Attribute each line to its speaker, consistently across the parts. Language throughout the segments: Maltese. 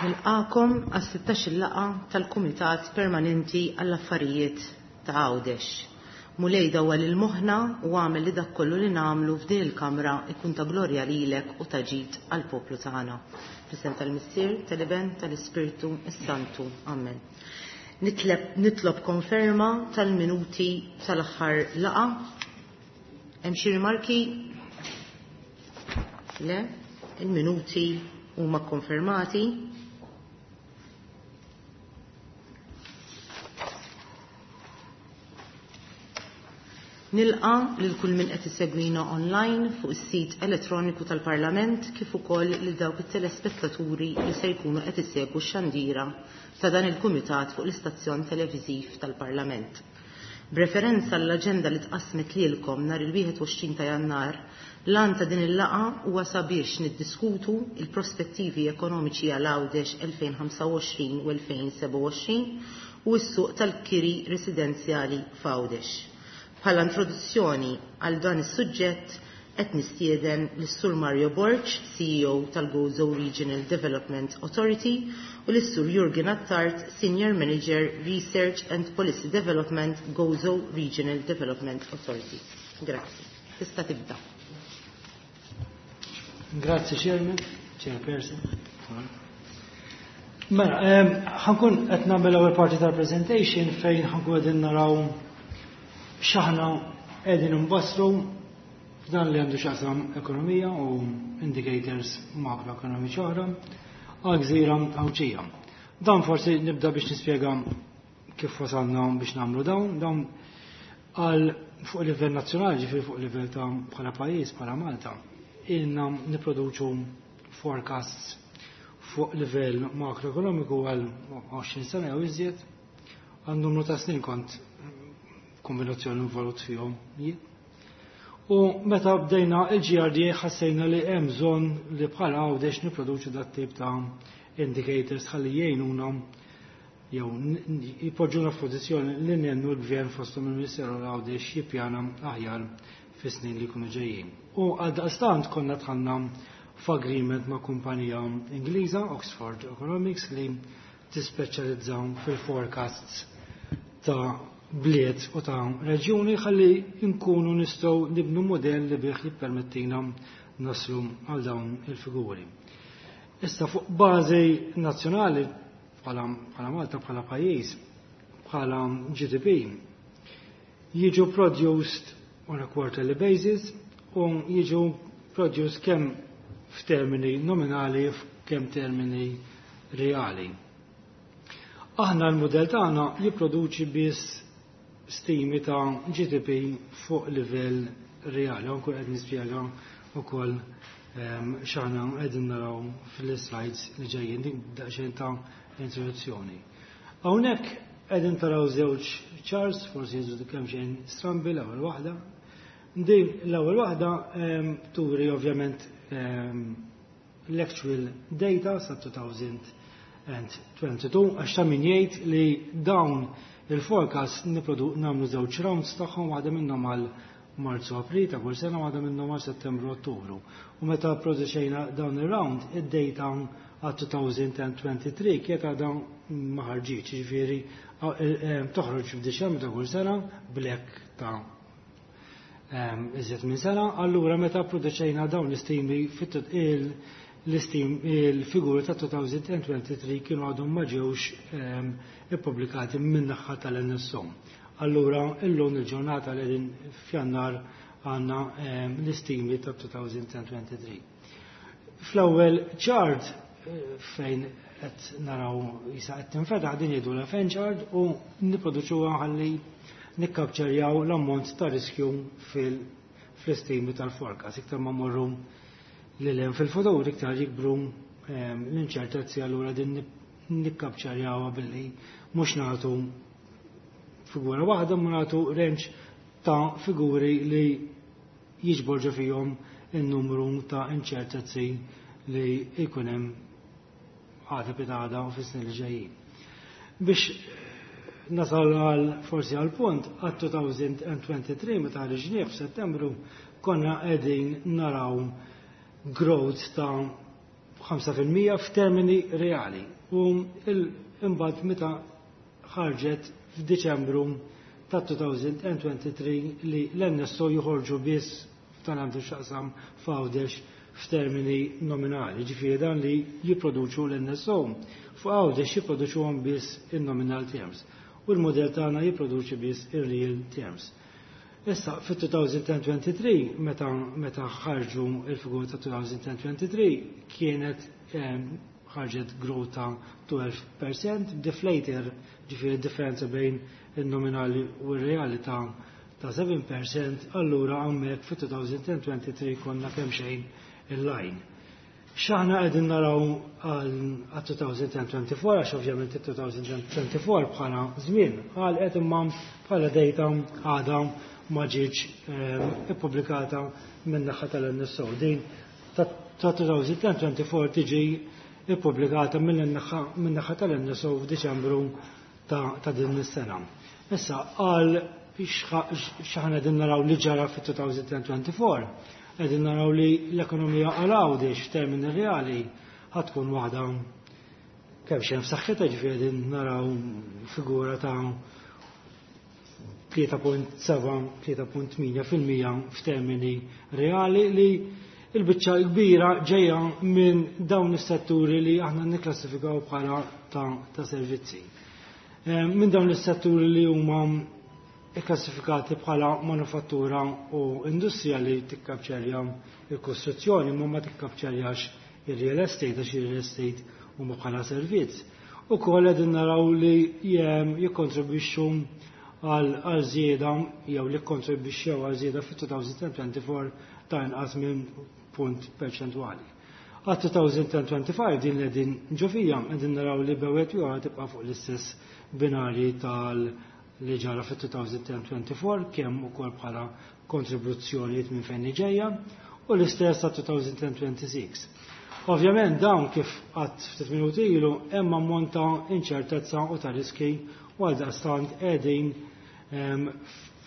Speaker 1: Nilqagħkom għas-16-il laqgħa tal-Kumitat Permanenti għall-Affarijiet ta' Għawdex. Mulej, dawwal lil moħħna u agħmel li dak kollu li nagħmlu f'din il-Kamra jkun ta' glorja lilek u ta' ġid għall-poplu tagħna. Fl-isem tal-Missier, tal-Iben, tal-Ispirtu s-Santu. Amen. Nitlob konferma tal-minuti tal-aħħar laqgħa. Hemm xi rimarki? Le, il-minuti huma konfermati. Nilqa' lil kull min qed isegwina online fuq is-sit elettroniku tal-Parlament kif ukoll lil dawk it-telespettaturi li se jkunu qed isegwu x-xandira ta' dan il-kumitat fuq l-istazzjon televiżiv tal-Parlament. B'referenza għall-aġenda li tqassmet lilkom nhar il-21 ta' Jannar, l-għan ta' din il-laqgħa huwa sabiex niddiskutu il-prospettivi ekonomiċi għal Għawdex 2025 u 2027 u s-suq tal-kiri residenzjali f'Għawdex. Bħala introduzzjoni għal dan is-suġġett qed nistieden lis-Sur Mario Borg, CEO tal-Gozo Regional Development Authority, u lis-Sur Jurgen Attard, Senior Manager Research and Policy Development, Gozo Regional Development Authority. Grazzi. Tista' tibda.
Speaker 2: Grazzi Chairman, Chairperson. Mela, ħa nkun qed nagħmel l-ewwel parti tal-presentation fejn ħa nkun qegħdin naraw x'aħna qegħdin nbassru f'dan li għandu x'jaqsam ekonomija u indicators makroekonomiċi oħra għal gżira Għawdxija. Dan forsi nibda biex nispjega kif wasalna biex nagħmlu dawn għal fuq livell nazzjonali, ġifieri fuq livell ta' bħala pajjiż, bħala Malta, ilna nipproduċu forecasts fuq livell makroekonomiku għal 20 sena jew iżjed, għal numru ta' snin kont kombinazzjoni involut fihom jien. U meta bdejna il-GRDA ħassejna li hemm bżonn li bħala Għawdex nipproduċu dat tip ta' indicators ħalli jgħinuna jew jpoġġuna f'pożizzjoni li ngħinu l-gvern fosthom il-Ministeru Għawdex jippjana aħjar fis-snin li jkunu ġejjin. U għaldaqstant konna dħalna f'agreement ma' kumpanija Ingliża, Oxford Economics, li tispeċjalizza fil-forecasts ta' bliet u ta' reġjuni ħalli nkunu nistgħu nibnu modell li bih jippermettina naslu għal dawn il-figuri. Issa fuq bażi nazzjonali bħala Malta, bħala pajjiż, bħala GDP, jiġu produced on a quarterly basis u jiġu produced kemm f'termini nominali kemm termini reali. Aħna l-modell tagħna jipproduċi biss stimi ta' GDP fuq livell reali. Anke qed nispjega wkoll x'aħna qegħdin naraw fil-slides li ġejjin, dik daqsxejn ta' introduzzjoni. Hawnhekk qegħdin taraw żewġ charts, forsi jidhru kemm xejn strambi l-ewwel waħda. Din l-ewwel waħda turi ovvjament l-actual data sa 2022, għax ta' min jgħid li dawn il-forecast nagħmlu żewġ rounds tagħhom, waħda minnhom għal Marzu April ta' kull sena, waħda minnhom għal Settembru Ottubru. U meta produċejna dawn ir-round, id-data għal 2023 kienet għadha ma ħarġitx, jiġifieri toħroġ f'Diċembru ta' kull sena b'lag ta' iżjed minn sena. Allura meta produċejna dawn l-istimi l-istim il-figuri ta' 2023 kienu għadhom ma ġewx ippubblikati min-naħa tal-NSO. Allura illum il-ġurnata li qegħdin f'Jannar għandna l-istimi ta' 2023. Fl-ewwel chart fejn qed naraw isa qed tinfetaħ din jgħidu l-FN chart u nipproduċuha ħalli nikkapċerjaw l-ammont ta' riskju fl-istimi tal-forecast. Iktar ma morru lil hemm fil-futur, iktar jikbru l-inċertezzi, allura din nikkapċerjawha billi mhux nagħtu figura waħda, ma nagħtu range ta' figuri li jiġbor ġo fihom in-numru ta' inċertezzi li jkun hemm għada pitgħada u fis-snin li ġejjin. Biex nasal għal forsi għal punt, għal 2023 meta ħriġnieh f'Settembru konna qegħdin naraw growth ta' 5% f'termini reali. U imbagħad meta ħarġet f'Diċembru ta' 2023 li l-NSO joħorġu biss f'dan għandu x'jaqsam f'Għawdex f'termini nominali, ġifieri dan li jipproduċu l-NSO. Fuq Għawdex jipproduċuhom biss in-nominal terms u l-modell tagħna jipproduċi biss ir-real terms. Issa, fit-2023, meta ħarġu il-figura ta' 2023, kienet ħarġet growth ta' 12%, deflator, ġifieri differenza bejn il-nominali u r-reali ta' 7%, allura hawnhekk fit-2023 konna kemm xejn in line. X'aħna qegħdin naraw għal 2024, għax ovvjament il-2024 bħala żmien għal qed imma bħala data għadha ma ġietx ippubblikata minn naħa tal-NSO. Din ta' 2024 tiġi ippubblikata minn naħa tal-NSO f'Diċembru ta' din is-sena. Issa għal x'aħna qegħdin naraw li ġara fit-2024, qegħdin naraw li l-ekonomija għal Għawdex f'termini reali ħa tkun waħda kemm xejn f'saħħitha, ġifieri qegħdin naraw figura ta' 3.7-3.8% f'termini reali li il-biċċa kbira ġejja minn dawn is-setturi li aħna nikklassifikaw bħala ta' servizzi. Minn dawn is-setturi li huma ikklassifikati bħala manufattura u industrija li tikkapċerja il-kostruzzjoni ma ma tikkapċerjax il-real estate, għax il-real estate huma bħala servizz. U koll qegħdin naraw li jikkontribwixxu għal żieda jew li kontribwixxew għal żieda fit-2024 ta' inqas minn punt perċentwali. Għal 2025 din li qegħdin ġo fija qegħdin naraw li bewet jew tibqa' fuq l-istess binari tal li ġara fit-2024, kemm ukoll bħala kontribuzzjonijiet minn fejn ġejja, u l-istess ta' 2026. Ovvjament dawn, kif għedt ftit minuti ilu, hemm ammont ta' inċertezza u ta' riski u għal daqstant qegħdin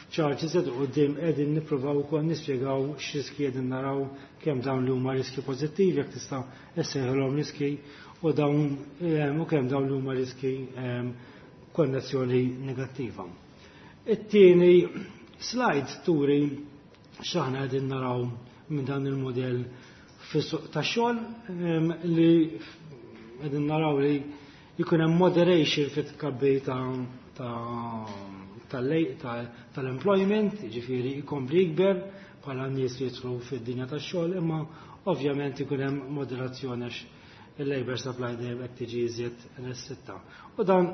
Speaker 2: f'chart iżjed quddiem qegħdin nippruvaw ukoll nispjegaw x'riski qegħdin naraw, kemm dawn li huma riski pożittivi, jekk tista' issejħilhom riski, u dawn u kemm dawn li huma riski konnessjoni negattiva. It-tieni slide turi x'aħna qegħdin naraw minn dan il-modell fis-suq tax-xogħol, li qegħdin naraw li jkun hemm moderation fit-tkabbir tal-employment, ġifieri jkompli jikber bħala nies li jidħlu fid-dinja tax-xogħol, imma ovvjament ikun hemm moderazzjoni għax il-labor supply dejjem qed tiġi iżjed restritta. U dan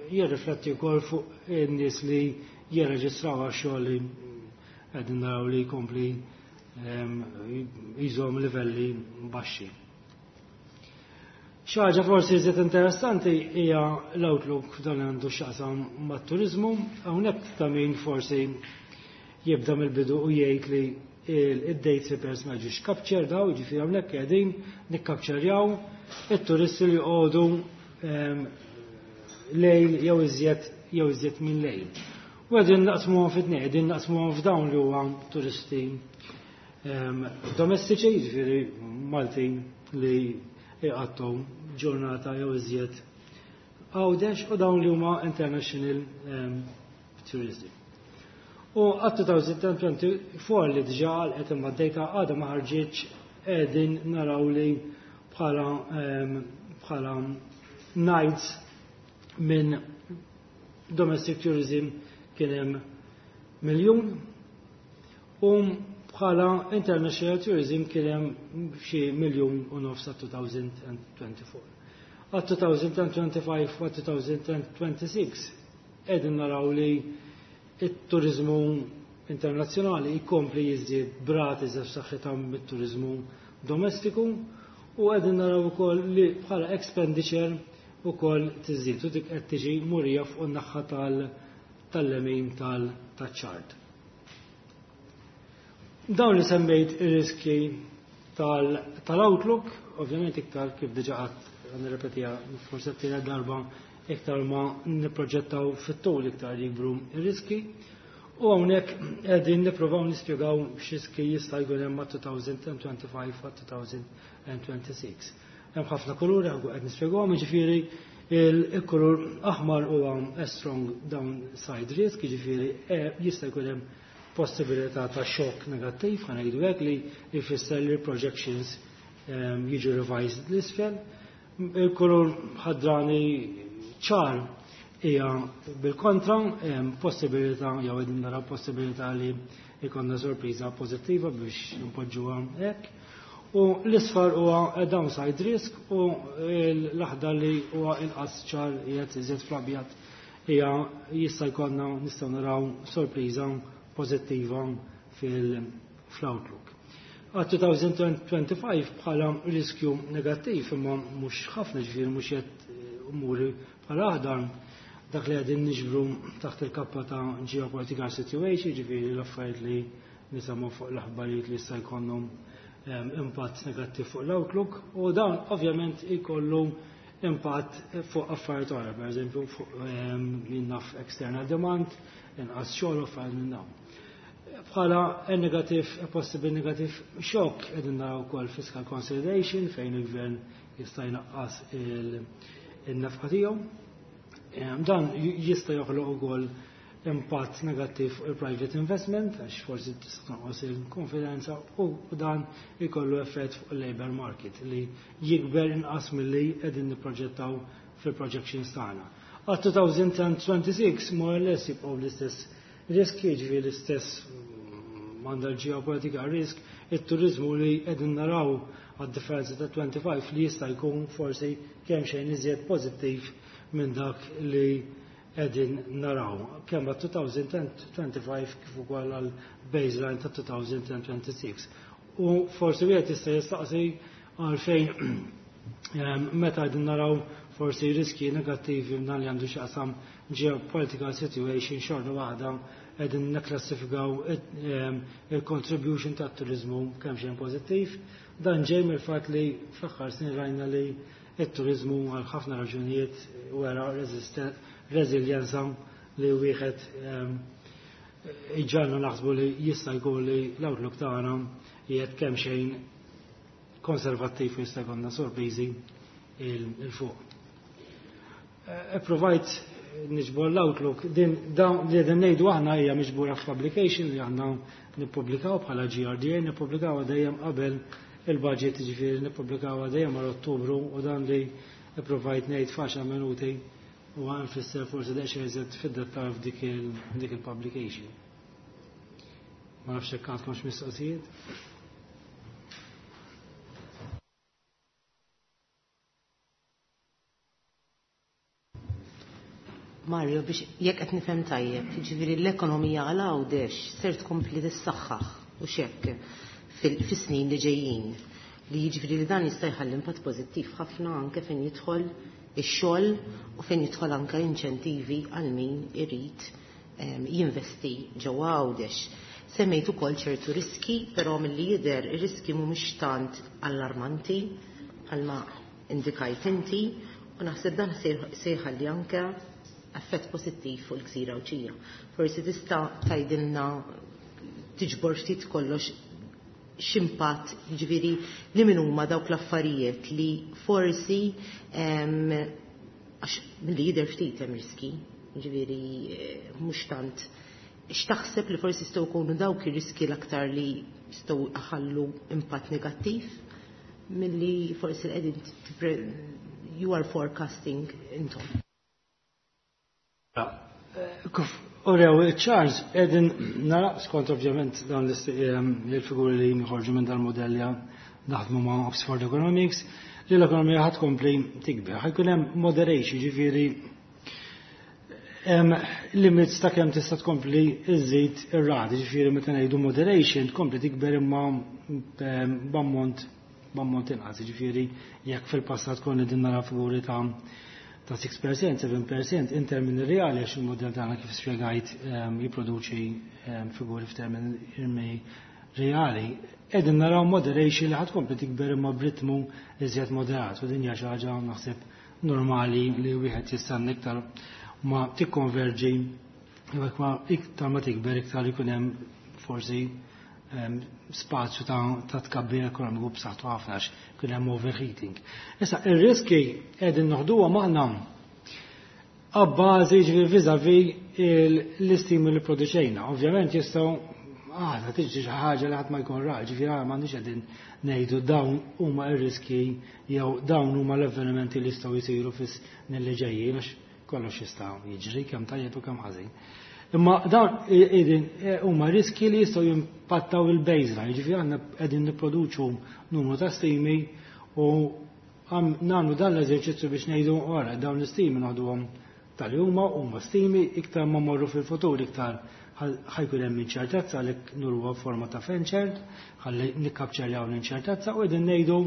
Speaker 2: jirrifletti wkoll fuq in-nies li jirreġistraw għax-xogħol li qegħdin naraw li jkompli jżomm livelli baxxi. Xi ħaġa forsi iżjed interessanti hija l-outlook f'dan għandu x'jaqsam mat-turiżmu. Hawnhekk ta' min forsi jibda mill-bidu u jgħid li id-day trippers ma ġiex captured daw, ġifieri hawnhekk qegħdin nikkapċerjaw it-turisti li joqogħdu lejl jew iżjed minn lejl. U qegħdin naqsmuhom fit-tnejn, qegħdin naqsmuhom f'dawn li huwa turisti domestiċi, ġifieri Maltin li jqattu ġurnata jew iżjed Għawdex, u dawn li huma international tourism. U għat 2024 li diġà qed imma d-data għadha ma ħarġitx, qegħdin naraw li bħala nights minn domestic tourism kien hemm 1 miljun u bħala international tourism kien hemm xi 1.5 miljun sa 2024. Għat 2025 u 2026 qegħdin naraw li it-turizmu internazzjonali jkompli jiżdied b'rati f'saħħitha mit-turizmu domestiku u qegħdin naraw ukoll li bħala expenditure ukoll tiżdied u dik qed tiġi murija fuq in-naħa tal-lemin tal-chart. Dawn li semmejt ir-riski tal-outlook, ovvjament iktar, kif diġà għedt, nirrepetiha forse t darba, iktar ma nipproġettaw fit-tul iktar jikbru ir-riski. U hawnhekk qegħdin nippruvaw nispjegaw x'riski jista' jkun hemm 2025 u 2026. Hemm ħafna kuluri, ħa nkun qed nispjegahom, jiġifieri il-kulur aħmar huwa a strong downside risk, jiġifieri jista' jkun hemm possibilità ta' xokk negattiv, ħa ngħidu hekk, li jfisser li projections jiġu revised l-isfel. Il-kulur ħadrani ċar hija bil-kontra, possibilità jew qegħdin naraw possibilità li jkollna sorpriża pożittiva, biex npoġġuha hekk. U l-isfar huwa downside risk u l-aħdar, li huwa inqas ċar, qiegħed iżjed fl-abjad, hija jista' jkollna, nistgħu naraw sorpriża pożittiva fil-outlook. Għal 2025 bħala riskju negattiv, imma mhux ħafna, ġifieri mhux qed umuri bħala aħdar, dak li qegħdin niġbru taħt il-kappa ta' geopolitical situation, ġifieri l-affarijiet li nisimgħu fuq l-aħbarijiet li jista' jkollhom impatt negattiv fuq l-outlook, u dan ovvjament jkollu impatt fuq affarijiet oħra, per eżempju fuq naf external demand, inqas xogħol u affarijiet minn dawn. Bħala negative, a possible negative shock, qegħdin naraw ukoll fiscal consolidation, fejn il-gvern jista' jnaqqas il-nefqa tiegħu. Dan jista' joħloq ukoll impatt negattiv fuq il-private investment, għax forsi tista' tonqos il-konfidenza, u dan ikollu effett fuq il-labor market li jikber inqas milli qegħdin nipproġettaw fil-projections tagħna. Għal 2026 more or less jibqgħu l-istess riski, jiġifieri l-istess għandha l-geopolitical risk, it-turizmu li qegħdin naraw għad differenza ta' 25 li jista' jkun forsi kemm xejn iżjed pożittiv minn dak li qegħdin naraw kemm għal 2025 kif ukoll għal baseline ta' 2026. U forsi wieħed jista' jistaqsi għalfejn, meta qegħdin naraw forsi riski negattivi minn li għandu x'jaqsam geopolitical situation, xorta waħda qegħdin nikklassifikaw il-contribution tat turizmu kemm xejn pożittiv. Dan ġej mill-fatt li fl-aħħar snin rajna li it-turizmu għal ħafna raġunijiet wera reżiljenza li wieħed iġagħalna naħsbu li jista' jkun li l-outlook tagħna qiegħed kemm xejn konservattiv u jista' jkollna sorpriżi 'il fuq. Provajt niġbor l-outlook, din dawn li qegħdin ngħidu aħna hija miġbura f'publication li aħna nippubblikaw bħala GRDA, nippubblikaw dejjem qabel il-budget, ġifieri nippubblikaw dejjem għal Ottubru, u dan li provajt ngħid f'għaxar minuti u għan fisser forsi daqsxejn iżjed fid-dettal f'dik il-publication. Ma nafx hekk għandkomx mistoqsijiet.
Speaker 1: Mario, biex jekk qed nifhem tajjeb, jiġifieri l-ekonomija għal Għawdex ser tkompli tissaħħaħ u xekk fis-snin li ġejjin. Li jiġifieri li dan jista' jħalli impatt pożittiv ħafna anke fejn jidħol ix-xogħol u fejn jidħol anke inċentivi għal min irid jinvesti ġewwa Għawdex. Semmejt ukoll ċertu riski, però milli jidher ir-riski mhumiex tant allarmanti bħalma indikajt inti, u naħseb dan se jħalli anke effett pożittiv fuq il-gżira Għawdxija. Forsi tista' tgħidilna, tiġbor ftit kollox, x'impatt, ġifieri li min huma dawk l-affarijiet li forsi, għax milli jidher ftit hemm riski, ġifieri mhux tant, x'taħseb li forsi jistgħu jkunu dawk ir-riski l-aktar li jistgħu iħallu impatt negattiv milli forsi qegħdin you are forecasting intom?
Speaker 2: Kif urew Charles, qegħdin nara skont ovvjament dawn il-figuri li jħorġu minn dal-modelli naħdmu ma' Oxford Economics, li l-ekonomija ħa tkompli tikber. Ħa jkun hemm moderation, ġifieri limits ta' kemm tista' tkompli iżid ir-rati, ġifieri meta ngħidu moderation, tkompli tikber imma b'ammont inqas, ġifieri jekk fil-passat konna din nara figuri ta' 6%, 7% in termini reali, għax il-modell tagħna, kif spjegajt, jipproduċi figuri f'termini reali. Qegħdin naraw moderation li ħa tkompli tikber imma b'ritmu iżjed moderat, u din hija xi ħaġa naħseb normali li wieħed jistenna. Iktar ma tikkonverġi, jew ma iktar ma tikber, iktar ikun hemm forsi spazju ta' tkabbir ekonomiku b'saħħtu ħafna għax kien hemm overheating. Issa ir-riski qegħdin noħduhom aħna abbażi, ġifieri vis-à-vis l-istimi li produċejna. Ovvjament jistgħu għada tiġi xi ħaġa li ħadd ma jkun ra, ġifieri m'għandniex qegħdin ngħidu dawn huma r-riski jew dawn huma l-avvenimenti li jistgħu jsiru fis-snin li ġejjin, għax kollox jista' jiġri, kemm tajjeb u kemm ħażin. Imma dawn qegħdin huma riski li jistgħu jimpattaw il-baseline, ġifieri aħna qegħdin nipproduċu numru ta' stimi u nagħmlu dan l-eżerċizzju biex ngħidu ora dawn l-istimi noħduhom tal-huma huma stimi. Iktar ma morru fil-futur, iktar ħa jkun hemm inċertezza, għalhekk nuruha forma ta' fan chart ħalli nikkapċerjaw l-inċertezza u qegħdin ngħidu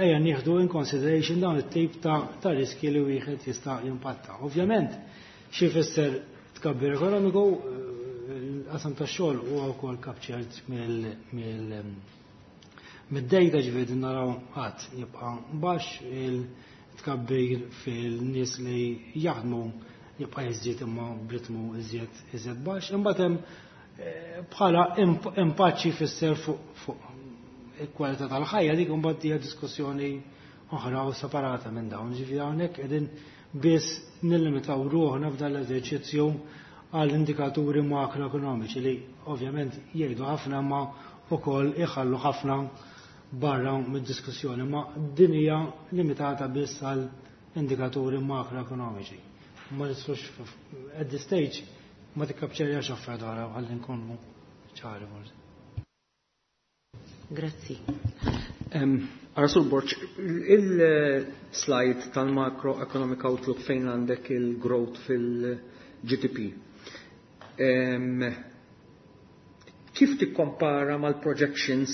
Speaker 2: ejja nieħdu in consideration dawn it-tip ta' riski li wieħed jista' jimpatta. Ovvjament, xi jfisser tkabbir ekonomiku, l-qasam tax-xogħol huwa wkoll captured mid-data, ġifieri naraw qgħad jibqa' baxx, il-tkabbir fil-nies li jaħdmu jibqa' jiżdied imma b'ritmu iżjed baxx. Imbagħad hemm bħala impatt xi jfisser fuq il-kwalità tal-ħajja, dik imbagħad hija diskussjoni oħra u separata minn dawn. Ġifieri hawnhekk qegħdin biss nillimitaw ruħna f'dan l-eżerċizzju għal indikaturi makroekonomiċi li ovvjament jgħidu ħafna ma wkoll iħallu ħafna barra mid-diskussjoni, ma din hija limitata biss għal indikaturi makroekonomiċi. Ma nistgħux, at this stage ma tikkapċerjax affarijiet oħra, ħalli nkunu ċari forsi.
Speaker 1: Grazzi.
Speaker 3: Arasur Borg, il-slide tal-macroeconomic outlook fejn għandek il-growth fil-GDP. Kif tikkompara mal-projections?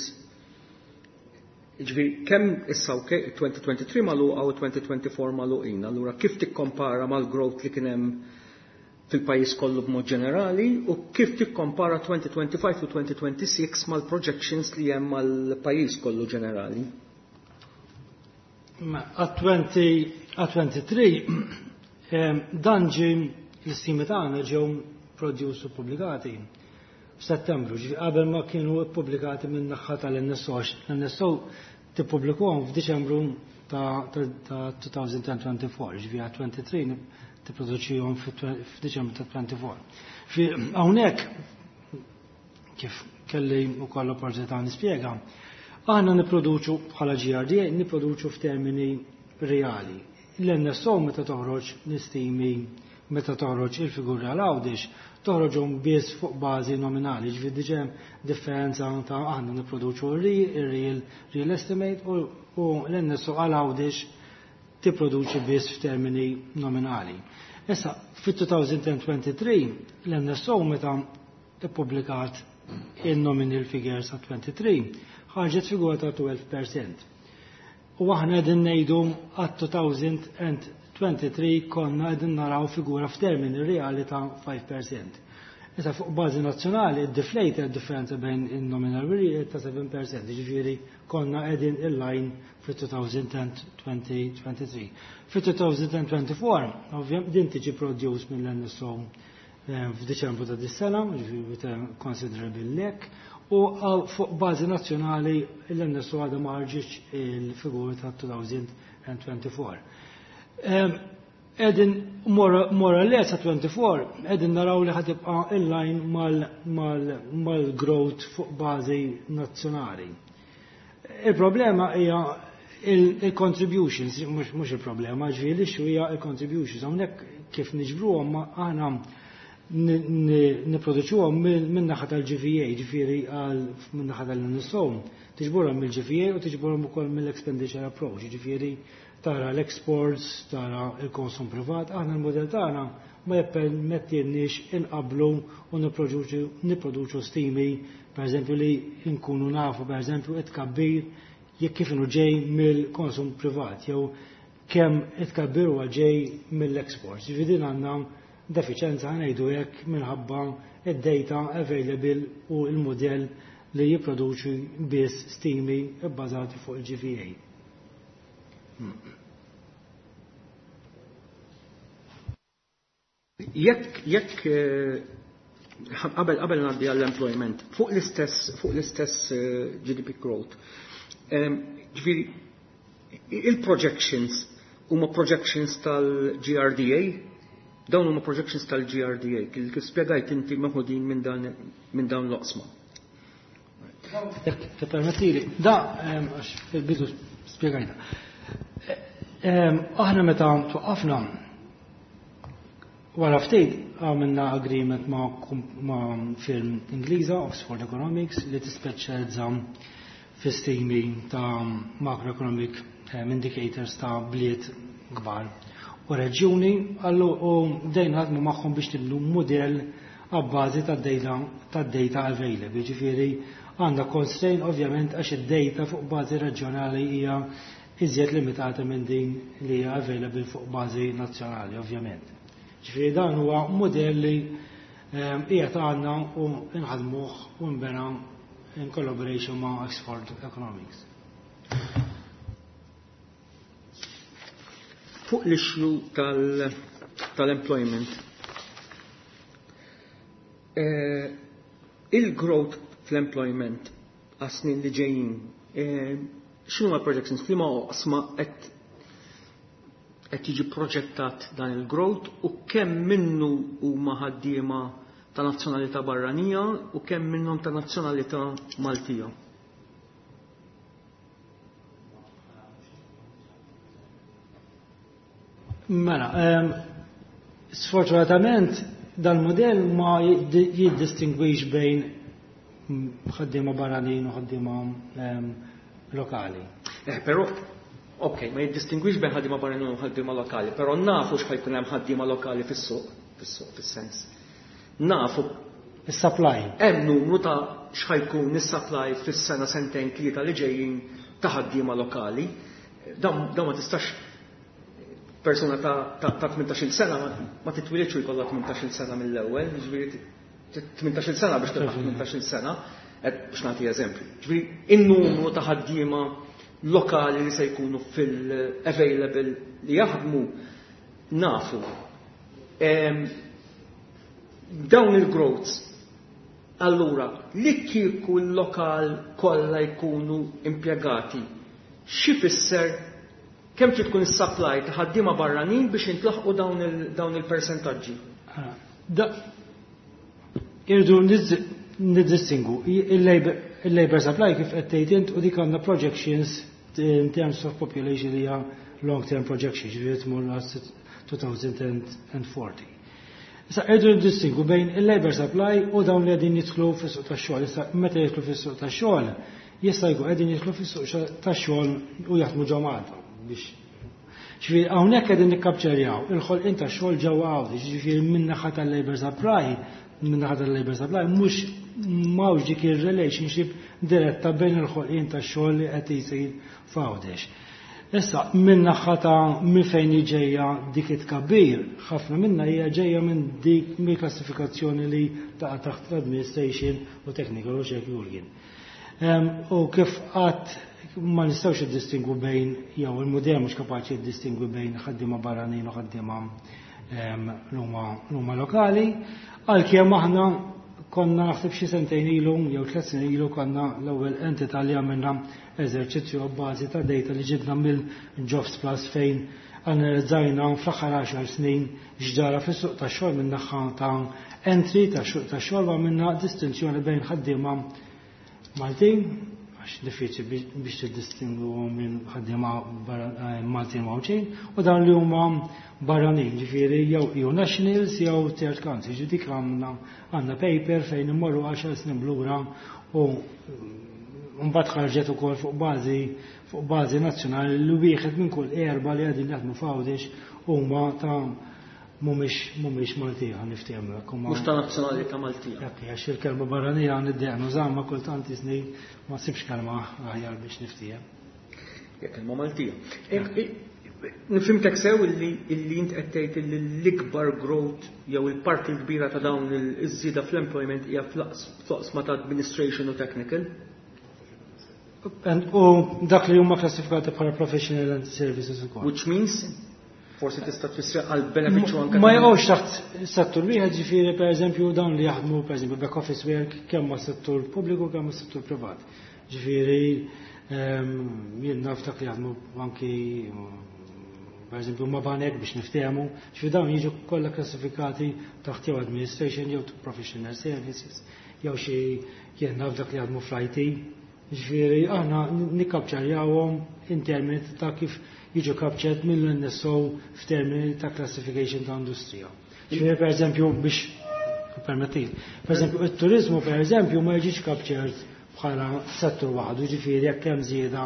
Speaker 3: Ġifieri, kemm issa, ok, 2023 magħluqa u 2024 magħluqin, allura kif tikkompara mal-growth li kien hemm fil-pajjiż kollu b'mod ġenerali u kif tikkompara 2025 u 2026 mal-projections li hemm mal-pajjiż kollu ġenerali?
Speaker 2: Ma għat-23 dan ġi l-istimi tagħna ġew produced u pubblikati f'Settembru, ġifi qabel ma kienu ppubblikati minn naħa tal-NSO. L-NSO tippubblikuhom f'Diċembru ta' 2024, ġifi għat 23 tipproduċihom f'Diċembru ta' 24. Fi hawnhekk, kif kelli wkoll opportunità nispjega, aħna nipproduċu bħala GRDA, nipproduċu f'termini reali. L-NSO meta toħroġ l-istimi, meta toħroġ il-figuri għal Għawdex, toħroġhom biss fuq bażi nominali, ġifieri diġà differenza ta' aħna nipproduċu il-real real estimate u l-NSO għal Għawdex tipproduċi biss f'termini nominali. Issa, fit-2023 l-NSO meta ippubblikat il-nominal figures ta' 23 ħarġet figura ta' 12%. U aħna qegħdin ngħidu għat 2023 konna qegħdin naraw figura f'termini reali ta' 5%. Issa fuq bażi nazzjonali id-deflator, differenza bejn il-nominal real ta' 7%, ġifieri konna qegħdin in-line fit-2023. Fit-2024, ovvjament din tiġi produced mill-NSO f'Diċembru ta' dis-sena, ġifieri with a considerable lag, u fuq bażi nazzjonali l-NSO għadha ma ħarġitx il-figuri ta' 2024. Qegħdin more or less 24 qegħdin naraw li ħa tibqa' in-line mal-growth fuq bażi nazzjonali. Il-problema hija il-contributions, mhux il-problema, ġifieri l-issue hija il-contributions. Hawnhekk kif niġbruhom, aħna nipproduċuhom minn naħa tal-GVA, ġifieri għal minn naħa tal-NSO, tiġburhom mill-GVA u tiġburhom ukoll mill-expenditure approach, ġifieri tara l-exports, tara il-konsum privat. Aħna l-modell tagħna ma jippermettilniex inqablu u nipproduċu stimi, per eżempju, li nkunu nafu, per eżempju, it-tkabbir jekk kif inhu ġej mill-konsum privat jew kemm it-tkabbir huwa ġej mill-exports. Ġifieri din għandna defiċenza, ngħidu hekk, minħabba id-data available u l-modell li jipproduċi biss stimi bbażati fuq il-GVA.
Speaker 3: Jekk Qabel ngħaddi għall-employment, fuq l-istess GDP growth. Ġifieri il-projections huma projections tal-GRDA, dawn huma projections tal-GRDA, kif spjegajt inti meħudin minn dawn l-oqsma.
Speaker 2: Jekk tippermettili, da għax fil-bidu spjegajta. Aħna meta twaqqafna, wara ftit għamilna agreement ma' firm Ingliża, Oxford Economics, li tispeċjalizza fi stimi ta' macroeconomic indicators ta' bliet kbar u reġjuni għallu, u bdejna naħdmu magħhom biex nibnu model għabbażi tad-data available. Ġifieri għandna constraint ovvjament, għax id-data fuq bażi reġjonali hija iżjed limitata minn din li hija available fuq bażi nazzjonali, ovvjament. Ġifieri dan huwa model li qiegħed għandna u nħadmuh u nbena in collaboration ma' Oxford Economics.
Speaker 3: Fuq l-issue tal-employment, il-growth fl-employment għas-snin li ġejjin, x'inhu l-projections, f'liema oqsma qed jiġi proġettat dan il-growth u kemm minnu huma ħaddiema ta' nazzjonalità barranija u kemm minnhom ta' nazzjonalità Maltija?
Speaker 2: Mela, sfortunatament dal-modell ma jiddistingwix bejn ħaddiema barranin u ħaddiema lokali.
Speaker 3: Però, ok, ma jiddistingwix bejn ħaddiema barranin u ħaddiema lokali, però nafu x'ħa jkun hemm ħaddiema lokali fis-suq fis-sens. Nafu.
Speaker 2: Is-supply.
Speaker 3: Hemm numru ta' x'ħa jkun is-supply fis-sena, sentejn, tlieta li ġejjin ta' ħaddiema lokali. Dan ma tistax, persuna ta' 18 sena ma titwilidx u jkollha 18 sena mill-ewwel, ġifieri 18 sena biex tilħaq 18 sena, biex nagħti eżempju. Ġifieri in-numru ta' ħaddiema lokali li se jkunu fil-available li jaħdmu nafu. Dawn il-growths, allura, li kieku l-lokal kollha jkunu impjegati, x'ifisser, kemm trid tkun is-supply ta' ħaddiema barranin biex intlaħqu dawn il-persentaġġi?
Speaker 2: Irridu niddistingu il-labor supply kif qed tgħid int, u dik għandna projections in terms of population li hija long term projection, ġifieri tmur 2040. Issa irridu niddistingu bejn il-labor supply u dawn li qegħdin jidħlu fis-suq tax-xogħol. Issa meta jidħlu fis-suq tax-xogħol, jista' jkun qegħdin jidħlu fis-suq tax-xogħol u jaħdmu ġo Malta biex. Ġifieri hawnhekk qegħdin nikkapċerjaw il-ħolqien tax-xogħol ġewwa Għawdex, ġifieri min-naħa tal-labor supply, min-naħa tal-labor supply mhux m'hawnx dik ir-relationship diretta bejn il-ħolqien tax-xogħol li qed isir f'Għawdex. Issa, minn naħa ta' minn fejn ġejja dik it-tkabbir, ħafna minna hija ġejja minn dik mill klassifikazzjoni li taqa' taħt l-administration u technical u xek Jurgen. U kif qatt ma nistgħux iddistingwu bejn, jew il-mudell mhux kapaċi jiddistingwi bejn ħaddiema barranin u ħaddiema l-huma lokali, għalkemm aħna konna, naħseb xi sentejn ilu jew 3 snin ilu, konna l-ewwel entità li għamilna eżerċizzju bbażi ta' data li ġibna mill-Jobs Plus, fejn analizzajna fl-aħħar 10 snin x'ġara fis-suq tax-xogħol minn naħa ta' entry ta' suq tax-xogħol, u għamilna distinzjoni bejn ħaddiema Maltin, għax diffiċli biex tiddistingu minn ħaddiema Maltin u Għawdxin, u dawn li huma barranin, ġifieri jew EU nationals jew third country. Ġifieri dik għandna paper fejn immorru 10 snin lura u mbagħad ħarġet ukoll fuq bażi nazzjonali li wieħed minn kull erba' li qegħdin jaħdmu f'Għawdex huma ta' mhumiex Maltija, niftehmu hekk.
Speaker 3: Mhux ta' nazzjonalità Maltija.
Speaker 2: Jekk għax il-kelma barranija niddejjaq nużaha, kultant jisni ma sibx kelma aħjar biex niftiehem.
Speaker 3: Jekk kelma Maltija. Nifhimtek sew illi int qed tgħid illi l-ikbar growth jew il-parti l-kbira ta' dawn iż-żieda fl-employment hija fl-oqsma ta' administration u technical?
Speaker 2: U dak li huma klassifikati bħala professional and services ukoll.
Speaker 3: Which means? Forsi tista' tfissra għal benefiċċju anke.
Speaker 2: Ma jaqgħux taħt settur wieħed, ġifieri pereżempju dawn li jaħdmu pereżempju back office work kemm ma' settur pubbliku kemm ma' settur privat. Ġifieri jien naf dak li jaħdmu anki pereżempju ma' banek biex niftehmu, ġifieri dawn jiġu kollha klassifikati taħt jew administration jew professional services jew xi jien naf dak li jaħdmu fl-IT. Ġifieri aħna nikkapċarjawhom in termini ta' kif jiġu captured mill-NSO f'termini ta' classification ta' industrija. Ġifieri pereżempju biex permettit. Pereżempju it-turizmu pereżempju ma jiġix captured bħala settur waħdu, ġifieri jekk hemm żieda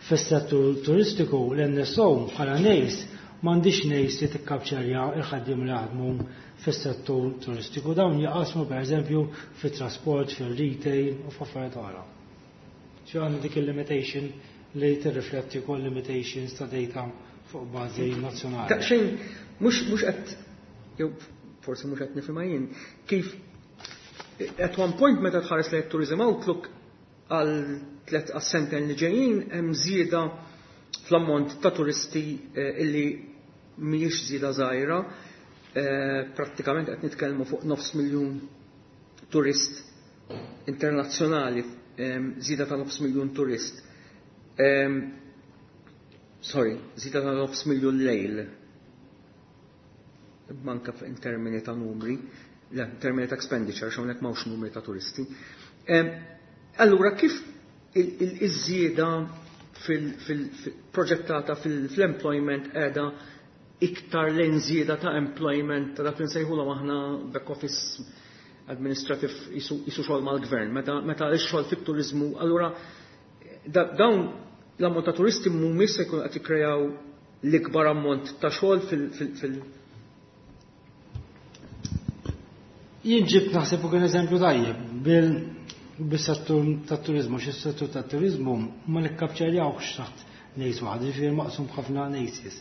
Speaker 2: fis-settur turistiku l-NSO bħala NACE m'għandix NACE li tikkapċarja il-ħaddiem li jaħdmu fis-settur turistiku. Dawn jaqasmu pereżempju fit-trasport, fil-retail u f'affarijiet oħra. Ġi għandna dik il-limitation li tirrifletti wkoll limitations ta' data fuq bażi nazzjonali.
Speaker 3: Daqsxejn mhux qed jew forsi mhux qed nifhimha jien kif at one point meta tħares lejn Tourism Outlook għal tlet għas-sentejn li ġejjin hemm żieda fl-ammont ta' turisti illi mhijiex żieda żgħira, prattikament qed nitkellmu fuq 500,000 turist internazzjonali, żieda ta' 500,000 turist. Sorry, żieda ta' 500,000 lejl. Manka in termini ta' numri, le, in termini ta' expenditure, x'hawnhekk m'hawnx numri ta' turisti. Allura kif iż-żieda fil-proġettata fil-employment qiegħda iktar lejn żieda ta' employment ta' dak li nsejħulhom aħna back office administrative jisu xogħol mal-gvern, meta x-xogħol fit-turizmu, allura dawn l-ammont ta' turisti mhumiex se jkunu qed jikkrejaw l-ikbar ammont ta' xogħol fil
Speaker 2: Jien ġibt naħseb ukoll eżempju tajjeb bis-settur tat-turizmu, xi settur tat-turizmu ma nikkapċarjawx taħt NACE waħda, ġifieri maqsum b'ħafna NACEs.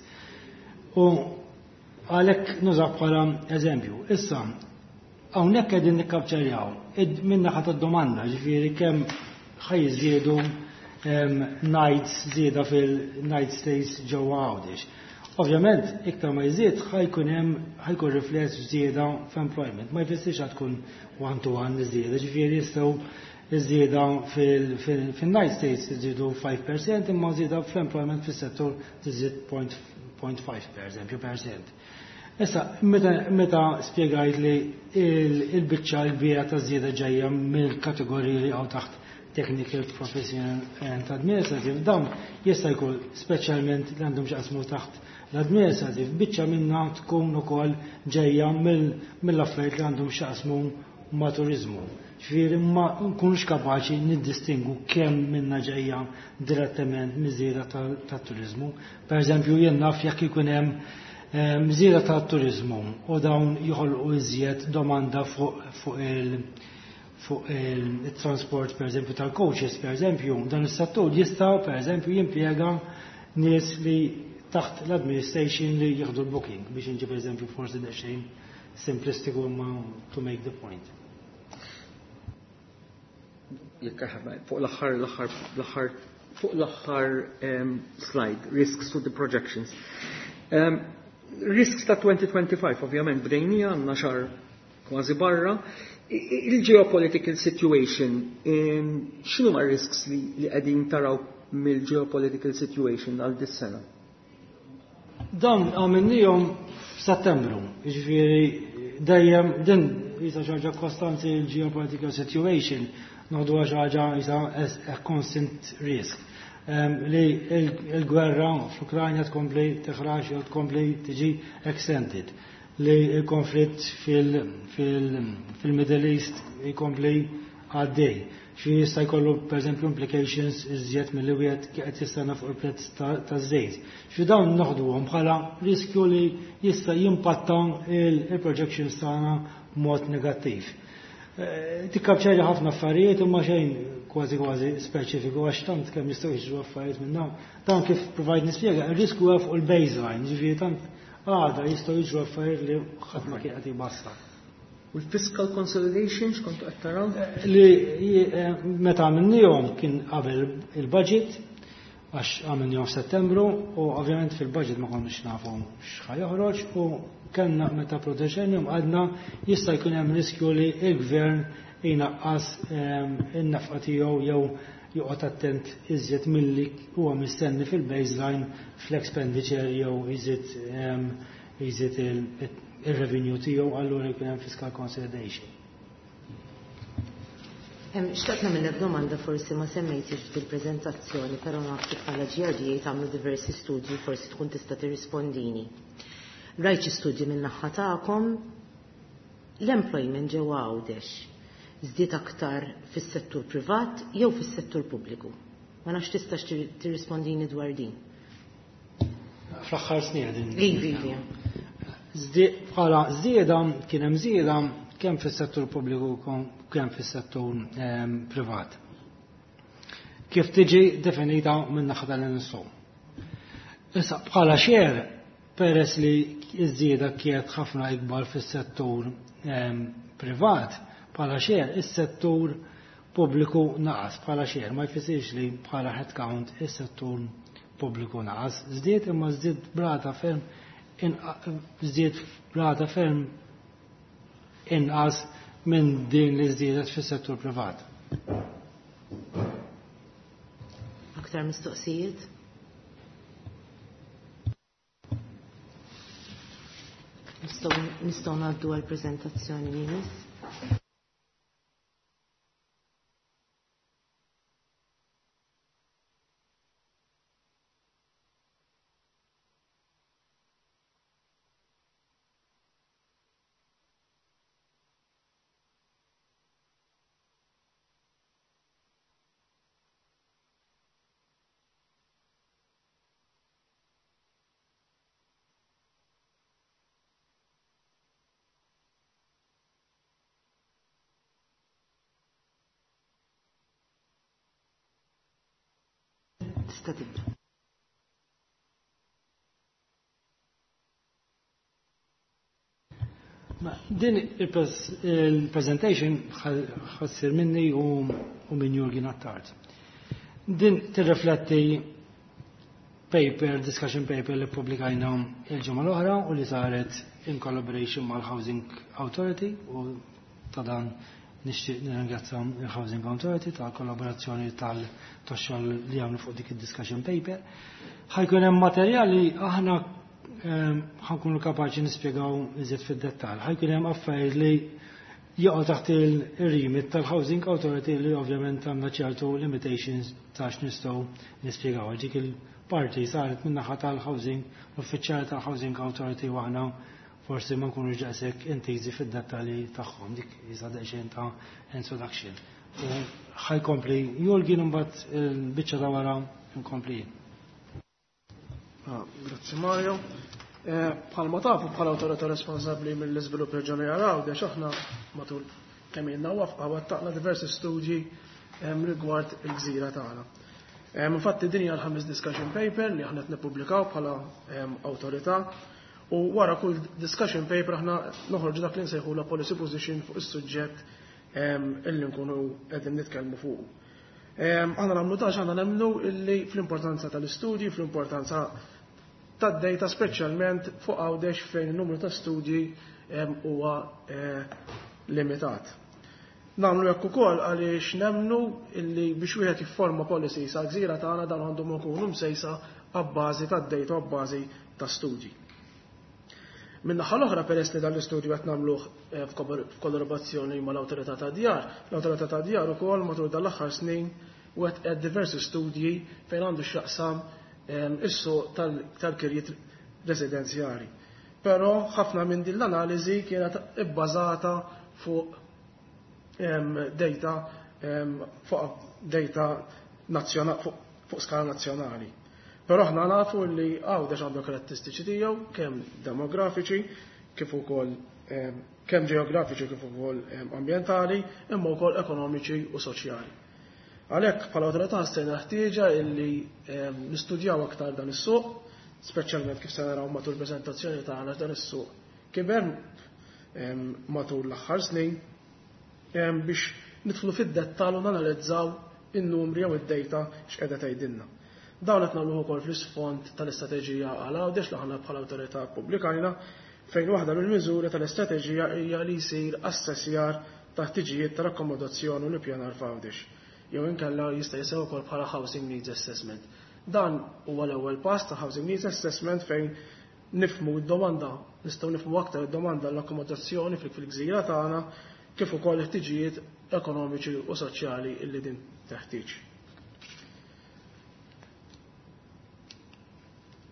Speaker 2: U għalhekk nużaw bħala eżempju. Issa, hawnhekk qegħdin nikkapċarjaw min-naħa tad-domanda, ġifieri kemm ħa jiżdiedu nights żieda fil-night stays ġewwa Għawdex. Ovvjament, iktar ma jżid ħajkun hemm ħajkun rifless żieda f'employment. Ma jfissirx ħad tkun one to one żieda, ġifieri jistgħu iż-żieda fil-night stays iżidu 5% imma żieda fl-employment fis-settur tiżid point five per eżempju percent. Issa, meta spjegajt li il-biċċa l-kbira ta' żieda ġejja mill-kategoriji li hawn taħt technical, professional and administrative, dawn jista' jkun speċjalment li għandhom x'jaqsmu taħt l-administrative, biċċa minna tkun ukoll ġejja mill-affarijiet li għandhom x'jaqsmu ma' turizmu. Ġifieri ma nkunux kapaċi niddistingu kemm minna ġejja direttament miż-żieda tat-turizmu. Per eżempju, jien naf jekk ikun hemm żieda tat-turizmu u dawn joħolqu iżjed domanda fuq il-transport, per eżempju, tal-coaches, per eżempju, dan is-settur jista' per eżempju jimpjega nies li taħt l-administration li jieħdu l-booking, biex inġib eżempju forsi daqsxejn simplistiku imma to make the point.
Speaker 3: Jekk fuq l-aħħar, l-aħħar, l-aħħar, fuq l-aħħar slide, risks to the projections. Risks ta' 2025, ovvjament, bdejnija għandna xahar kważi barra. Il-geopolitical situation, x'inhu ma' risks li qegħdin taraw mill-geopolitical situation għal dis-sena?
Speaker 2: Dan għamilnihom f'Settembru, jiġifieri dejjem din jisa xi ħaġa kostanti l-geopolitical situation, noħdu xi ħaġa jisa as a constant risk. Li il-gwerra fl-Ukrajna tkompli teħrax jew tkompli tiġi extended, li il-konflitt fil-Middle East jkompli għaddej. Xi jista' jkollu pereżempju implications iżjed milli wieħed qed jistenna fuq il-prezz taż-żejt. Xi dawn noħduhom bħala riskju li jista' jimpatta il-projections tagħna b'mod negattiv. Tikkapċarja ħafna affarijiet imma xejn kważi kważi speċifiku għax tant kemm jistgħu jiġru affarijiet minn dawn. Dan kif provajt nispjega, ir-riskju huwa fuq il-baseline, ġifieri tant għada jistgħu jiġru affarijiet li ħadd ma kien qed jbassar.
Speaker 3: U l-fiscal consolidation x'kontu qed taraw?
Speaker 2: Li meta għamilnihom kien qabel il-budget Għax għamilnihom f'Settembru u ovvjament fil-budget ma konniex nafu x'ħa joħroġ u kellna meta proteġenjum għadna jista' jkun hemm riskju li l-gvern jnaqqas in-nefqa tiegħu jew joqgħod attent iżjed milli huwa mistenni fil-baseline fl-expenditure jew iżid il-revenue tiegħu, allura jkun hemm fiscal consolidation.
Speaker 1: Xtaqt nagħmellek domanda, forsi ma semmejtix fil-preżentazzjoni, però naf li bħala GRDA tagħmlu diversi studji, forsi tkun tista' tirrispondini. Rajt xi studji minn naħa tagħkom, l-employment ġewwa Għawdex żdied aktar fis-settur privat jew fis-settur pubbliku? Ma nafx tistax tirrispondini dwar din.
Speaker 2: Fl-aħħar snin din.
Speaker 1: Ivi.
Speaker 2: Bħala żieda kien hemm żieda kemm fis-settur pubbliku kemm fis-settur privat. Kif tiġi definita minn naħa tal-NSO. Issa bħala share, peress li iż-żieda kienet ħafna ikbar fis-settur privat, bħala share is-settur pubbliku naqas bħala share, ma jfissirx li bħala headcount is-settur pubbliku naqas. Żdied, imma żdied b'rata ferm inqas minn din li żdiedet fis-settur privat.
Speaker 1: Aktar mistoqsijiet? Nistgħu ngħaddu għal preżentazzjoni li jmiss. Tista' tibda.
Speaker 2: Din il-presentation ħa ssir minni u minn Jurgen Attard. Din tirrifletti paper, discussion paper li publikajna il-ġimgħa l-oħra u li saret in collaboration mal-Housing Authority, u ta' dan nixtieq nirringrazzja il-Housing Authority tal kollaborazzjoni tal-tax-xogħol li għamlu fuq dik id-discussion paper. Ħa jkun hemm materjali aħna ħa nkunu kapaċi nispjegaw iżjed fid-dettall. Ħa jkun hemm affarijiet li jaqgħu taħt il-remit tal-Housing Authority li ovvjament għandna ċertu limitations ta' x'nistgħu nispjegaw. Dik il-parti saret minn naħa tal-Housing, l-uffiċjali tal-Housing Authority, u aħna forsi ma nkunux daqshekk intiżi fid-dettalji tagħhom. Dik jisa daqsxejn ta' introduction. U ħa jkompli Jurgen, imbagħad il-biċċa ta' wara nkompli jien.
Speaker 4: Ah, grazzi Mario. Bħalma tafu, bħala awtorità responsabbli mill-iżvilupp reġjonali għal Għawdex, aħna matul kemm ilna wafqa wettaqna diversi studji rigward il-gżira tagħna. Infatti din hija l-ħames discussion paper li aħna qed nippubblikaw bħala awtorità, u wara kull discussion paper aħna noħorġu dak li nsejħu la policy position fuq is-suġġett illi nkunu qegħdin nitkellmu fuq. Aħna nagħmlu dan, aħna nemmnu illi fl-importanza tal-istudji, fl-importanza tad-data, speċjalment fuq Għawdex fejn il-numru ta' studji huwa limitat. Nagħmlu hekk ukoll għaliex nemmnu illi biex wieħed jifforma policy sa gżira tagħna, dan għandhom ikunu msejsa abbażi tad-data u abbażi ta' studji. Min-naħa l-oħra, peress li dan l-istudju qed nagħmluh f'kollaborazzjoni mal-Awtorità ta' Djar, l-Awtorità ta' Djar ukoll matul dan l-aħħar snin wettqet diversi studji fejn għandu x'jaqsam is-suq tal-kirjiet residenzjali. Però ħafna minn din l-analiżi kienet ibbażata fuq data fuq skala nazzjonali. Però aħna nafu li Għawdex għandu karatteristiċi tiegħu, kemm demografiċi kif ukoll kemm ġeografiċi kif ukoll ambjentali, imma wkoll ekonomiċi u soċjali. Għalhekk bħala awtorità ħassejna ħtieġa illi nistudjaw aktar dan is-suq, speċjalment kif se naraw matul preżentazzjoni tagħna, dan is-suq kiber matul l-aħħar snin, biex nidħlu fid-dettall u nanalizzaw in-numri jew id-data x'qiegħda tgħidilna. Dawn qed nagħmluh ukoll fl-isfond tal-istrateġija għal Għawdex li aħna bħala awtorità ppubblikajna, fejn waħda mill-miżuri tal-istrateġija hija li jsir assessjar ta' ħtiġijiet tal-akkomodazzjoni u l-ippjanar f'Għawdex, jew inkella jista' jissew ukoll bħala Housing Needs Assessment. Dan huwa l-ewwel pass ta' Housing Needs Assessment fejn nifhmu d-domanda, nistgħu nifhmu aktar id-domanda l-akkomodazzjoni fil-gżira tagħna kif ukoll ħtiġijiet ekonomiċi u soċjali illi din teħtieġ.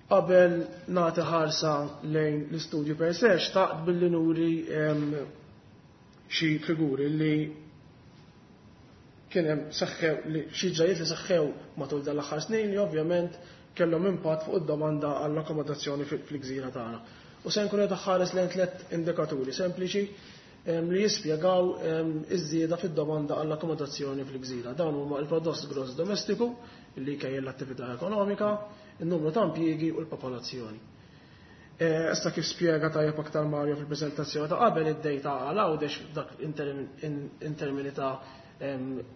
Speaker 4: Qabel nagħti ħarsa lejn l-istudju per se, xtaqt billi nuri xi figuri li kien hemm seħħew li xi ġrajiet li seħħew matul dan l-aħħar snin li ovvjament kellhom impatt fuq id-domanda għall-akkomodazzjoni fil-gżira tagħna. U se nkun qed ħares lejn tliet indikaturi sempliċi li jispjegaw iż-żieda fid-domanda għall-akkomodazzjoni fil-gżira. Dawn huma l-prodott gross domestiku li jkejjel l-attività ekonomika, in-numru ta' impjiegi u l-popolazzjoni. Issa kif spjega tajjeb aktar Mario fil-preżentazzjoni ta' qabel, id-data għal Għawdex dak in termini ta'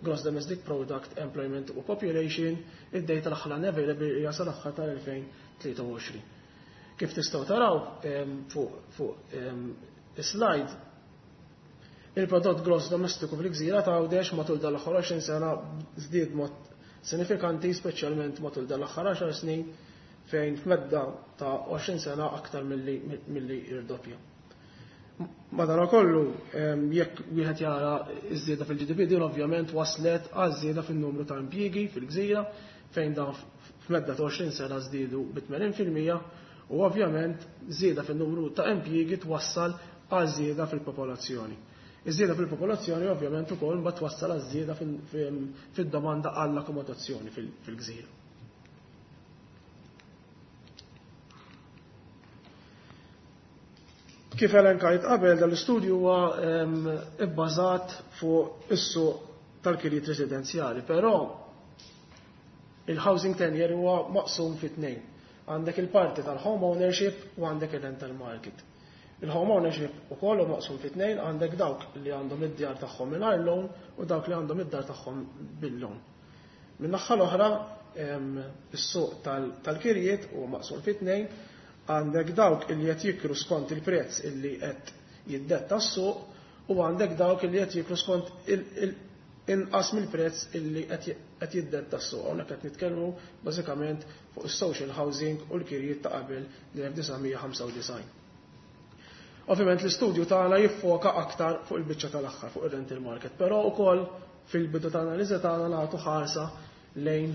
Speaker 4: gross domestic product, employment u population, id-data l-aħħar available hija sal-aħħar tal-2023. Kif tistgħu taraw fuq is-slide, il-prodott gross domestiku fil-gżira ta' Għawdex matul dal-aħħar 20 sena żdied mod sinifikanti, speċjalment matul dal-aħħar 10 snin, fejn f'medda ta' 20 sena aktar milli irdoppja. Madankollu, jekk wieħed jara iż-żieda fil-GDP, din ovvjament waslet għal żieda fin-numru ta' impjiegi fil-gżira, fejn dan f'medda ta' 20 sena żdiedu bi 80%, u ovvjament żieda fin-numru ta' impjiegi twassal għal żieda fil-popolazzjoni. Iż-żieda fil-popolazzjoni ovvjament ukoll mbagħad twassal għal żieda fid-domanda għall-akkomodazzjoni fil-gżira. Kif elenkajt qabel, dal-istudju huwa ibbażat fuq is-suq tal-kirjiet residenzjali, però il-housing tenure huwa maqsum fi tnejn. Għandek il-parti tal-home ownership u għandek il-rental market. Il-home ownership ukoll huwa maqsum fi tnejn, għandek dawk li għandhom id-djar tagħhom mingħajr loan u dawk li għandhom id-dar tagħhom bil-loan. Min-naħa l-oħra, is-suq tal-kirjiet huwa maqsum fi tnejn, għandek dawk illi qed jikru skont il-prezz illi qed jiddetta s-suq u għandek dawk illi qed jikru skont inqas mill-prezz illi qed jiddetta s-suq. Hawnhekk qed nitkellmu bażikament fuq is-social housing u l-kirjiet ta' qabel l-1995. Ovvjament l-istudju tagħna jiffoka aktar fuq il-biċċa tal-aħħar, fuq ir-rental market, però wkoll fil-bidu ta' analiżi tagħna nagħtu ħarsa lejn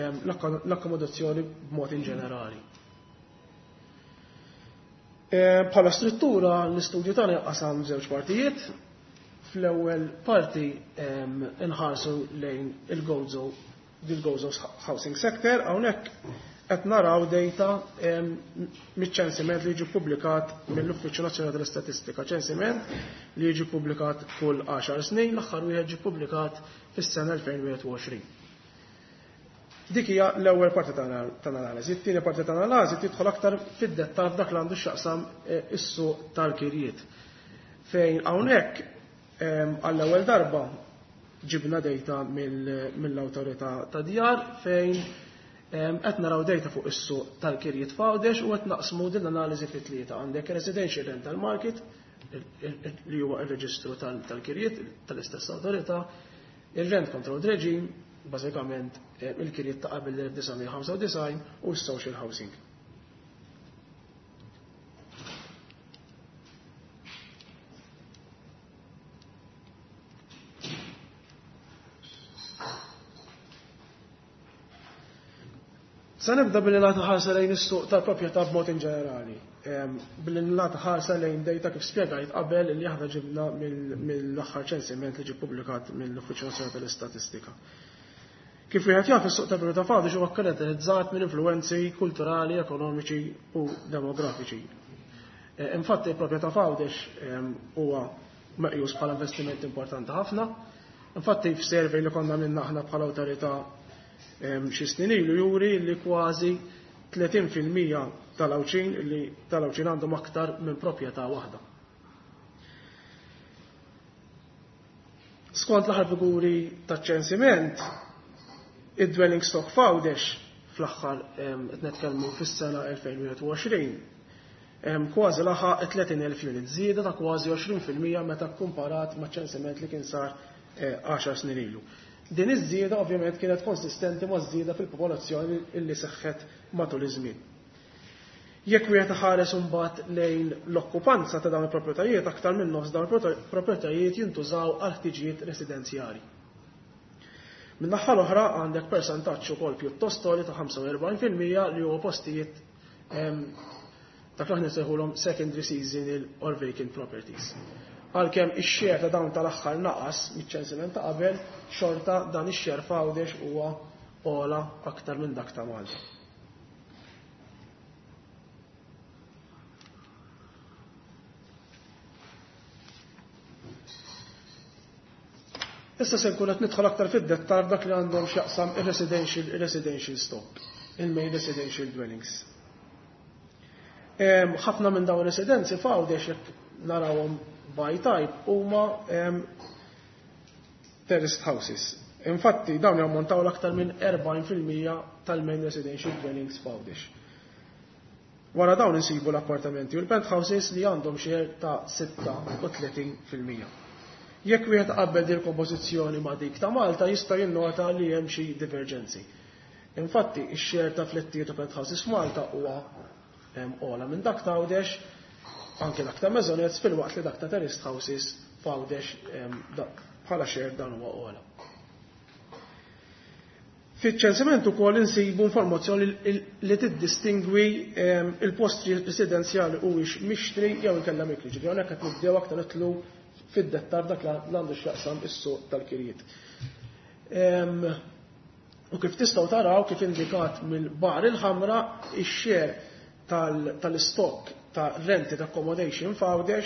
Speaker 4: l-akkomodazzjoni b'mod in ġenerali. Bħala struttura l-istudju tagħna jaqsam żewġ partijiet. Fl-ewwel parti inħarsu lejn il-Gozo, il-Gozo Housing Sector, hawnhekk qed naraw data miċ-ċensiment li jiġi ppubblikat mill-Uffiċċju Nazzjonali tal-Istatistika, ċensiment li jiġi ppubblikat kull 10 snin, l-aħħar wieħed ġie ppubblikat fis-sena 2021. Dik hija l-ewwel parti tal-analiżi. It-tieni parti tal-analiżi tidħol aktar fid-dettall f'dak li għandu x'jaqsam is-suq tal-kirjiet. Fejn hawnhekk għall-ewwel darba ġibna data mill-awtorità ta' djar fejn qed naraw data fuq is-suq tal-kirjiet f'Għawdex u qed naqsmu din l-analiżi fi tlieta. Għandek residential rental market li huwa r-reġistru tal-kirjiet tal-istess awtorità, il-rent control regime, bażikament il-kirjiet ta' qabel l-1995 u s-social housing. Sa nibda billi nagħtu ħarsa lejn is-suq tal-proprjetà b'mod in ġenerali. Billi nagħtu ħarsa lejn data kif spjegajt qabel li aħna ġibna mill-aħħar ċensiment li ġie ppubblikat mill-Uffiċċju Nazzjonali tal-Istatistika. Kif wieħed jaf, is-suq tal-proprjetà f'Għawdex huwa kkaratterizzat minn influwenzi kulturali, ekonomiċi u demografiċi. Infatti il-proprjetà f'Għawdex huwa meqjus bħala investiment importanti ħafna. Infatti f'survey li konna minna aħna bħala awtorità xi snin ilu juri li kważi 30% tal-Għawdxin li tal-Għawdxin għandhom aktar minn proprjetà waħda. Skont l-aħħar figuri taċ-ċensiment, id-dwelling stock f'Għawdex fl-aħħar qed nitkellmu fis-sena 2021, kważi laħaq 30,000 unit, żieda ta' kważi 20% meta kkumparat maċ-ċensiment li kien sar 10 snin ilu. Din iż-żieda ovvjament kienet konsistenti maż-żieda fil-popolazzjoni illi seħħet matul iż-żmien. Jekk wieħed iħares imbagħad lejn l-okkupanza ta' dawn il-proprjetajiet, aktar minn nofs dawn il-proprjetajiet jintużaw għal ħtiġijiet residenzjali. Min-naħa l-oħra għandek persentaġġ ukoll pjuttost għoli ta' 45% li huwa postijiet dak li aħna nsejħulhom secondary seasonal or vacant properties. Għalkemm ix-share ta' dawn tal-aħħar naqas miċ-ċensiment ta' qabel, xorta dan ix-share f'Għawdex huwa ogħla aktar minn dak ta' Malta. Issa se nkun qed nidħol aktar fid-dettal f'dak li għandhom x'jaqsam ir-residential residential stock, il-main residential dwellings. Ħafna minn dawn residenzi f'Għawdex, jekk narawhom by type, huma terraced houses. Infatti dawn jammontaw l-aktar minn 40% tal-main residential dwellings f'Għawdex. Wara dawn insibu l-appartamenti u l-penthouses li għandhom share ta' 36%. Jekk wieħed qabbel din kompożizzjoni ma' dik ta' Malta, jista' jinnota li hemm xi divergenzi. Infatti, ix-share ta' flettijiet u penthouses f'Malta huwa ogħla minn dak ta' Għawdex, anke dak ta' maisonettes, filwaqt li dak ta' terraced houses f'Għawdex bħala share dan huwa ogħla. Fiċ-ċensiment ukoll insibu informazzjoni li tiddistingwi il-post residenzjali huwiex mixtri jew inkella mikri. Ġifieri hawnhekk qed nibdew aktar nidħlu fid-dettal dak li għandu x'jaqsam is-suq tal-kirjiet. U kif tistgħu taraw, kif indikat mill-bar il-ħamra, ix-share tal-stock ta' rented accommodation f'Għawdex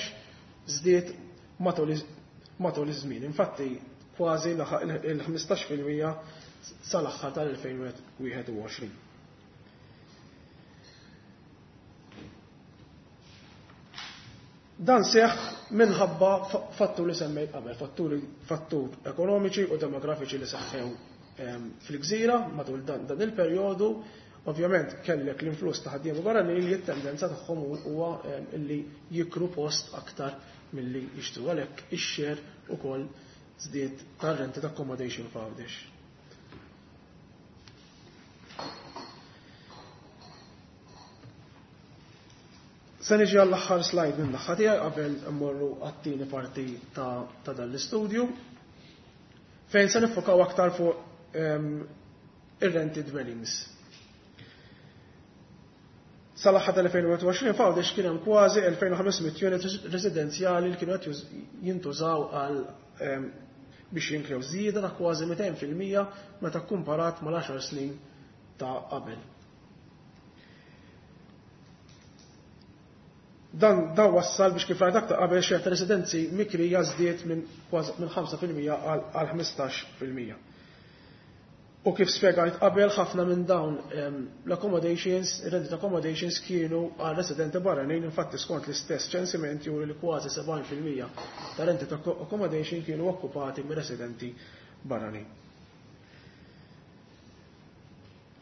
Speaker 4: żdied matul iż-żmien. Infatti kważi laħaq il-15% sal-aħħar tal-2021. Dan seħ minħabba fattur li semmejt qabel, fattur ekonomiċi u demografiċi li seħħew fil-gżira matul dan il-perjodu. Ovvjament kellek l-influss ta' ħaddiema barranin li t-tendenza tagħhom huwa li jikru post aktar milli jixtru, għalhekk ix-share ukoll żdied tar-rented accommodation f'Għawdex. Se niġi għall-aħħar slide minn naħa tiegħi qabel immorru għat-tieni parti ta' dan l-istudju, fejn se niffokaw aktar fuq ir-rented dwellings. Sal-aħħar tal-2021 f'Għawdex kien hemm kważi 2500 unit residenzjali li kienu qed jintużaw għal biex jinkrew, żieda ta' kważi 200% meta kkumparat mal-10 snin ta' qabel. Dan wassal biex, kif rajt aktar qabel, share ta' residenzi mikrija żdied minn kważi minn 5% għal 15%. U kif spjegajt qabel, ħafna minn dawn l-accommodations, rented accommodations, kienu għal residenti barranin. Infatti skont l-istess ċensiment juri li kważi 70% ta' rented accommodation kienu okkupati minn residenti barranin.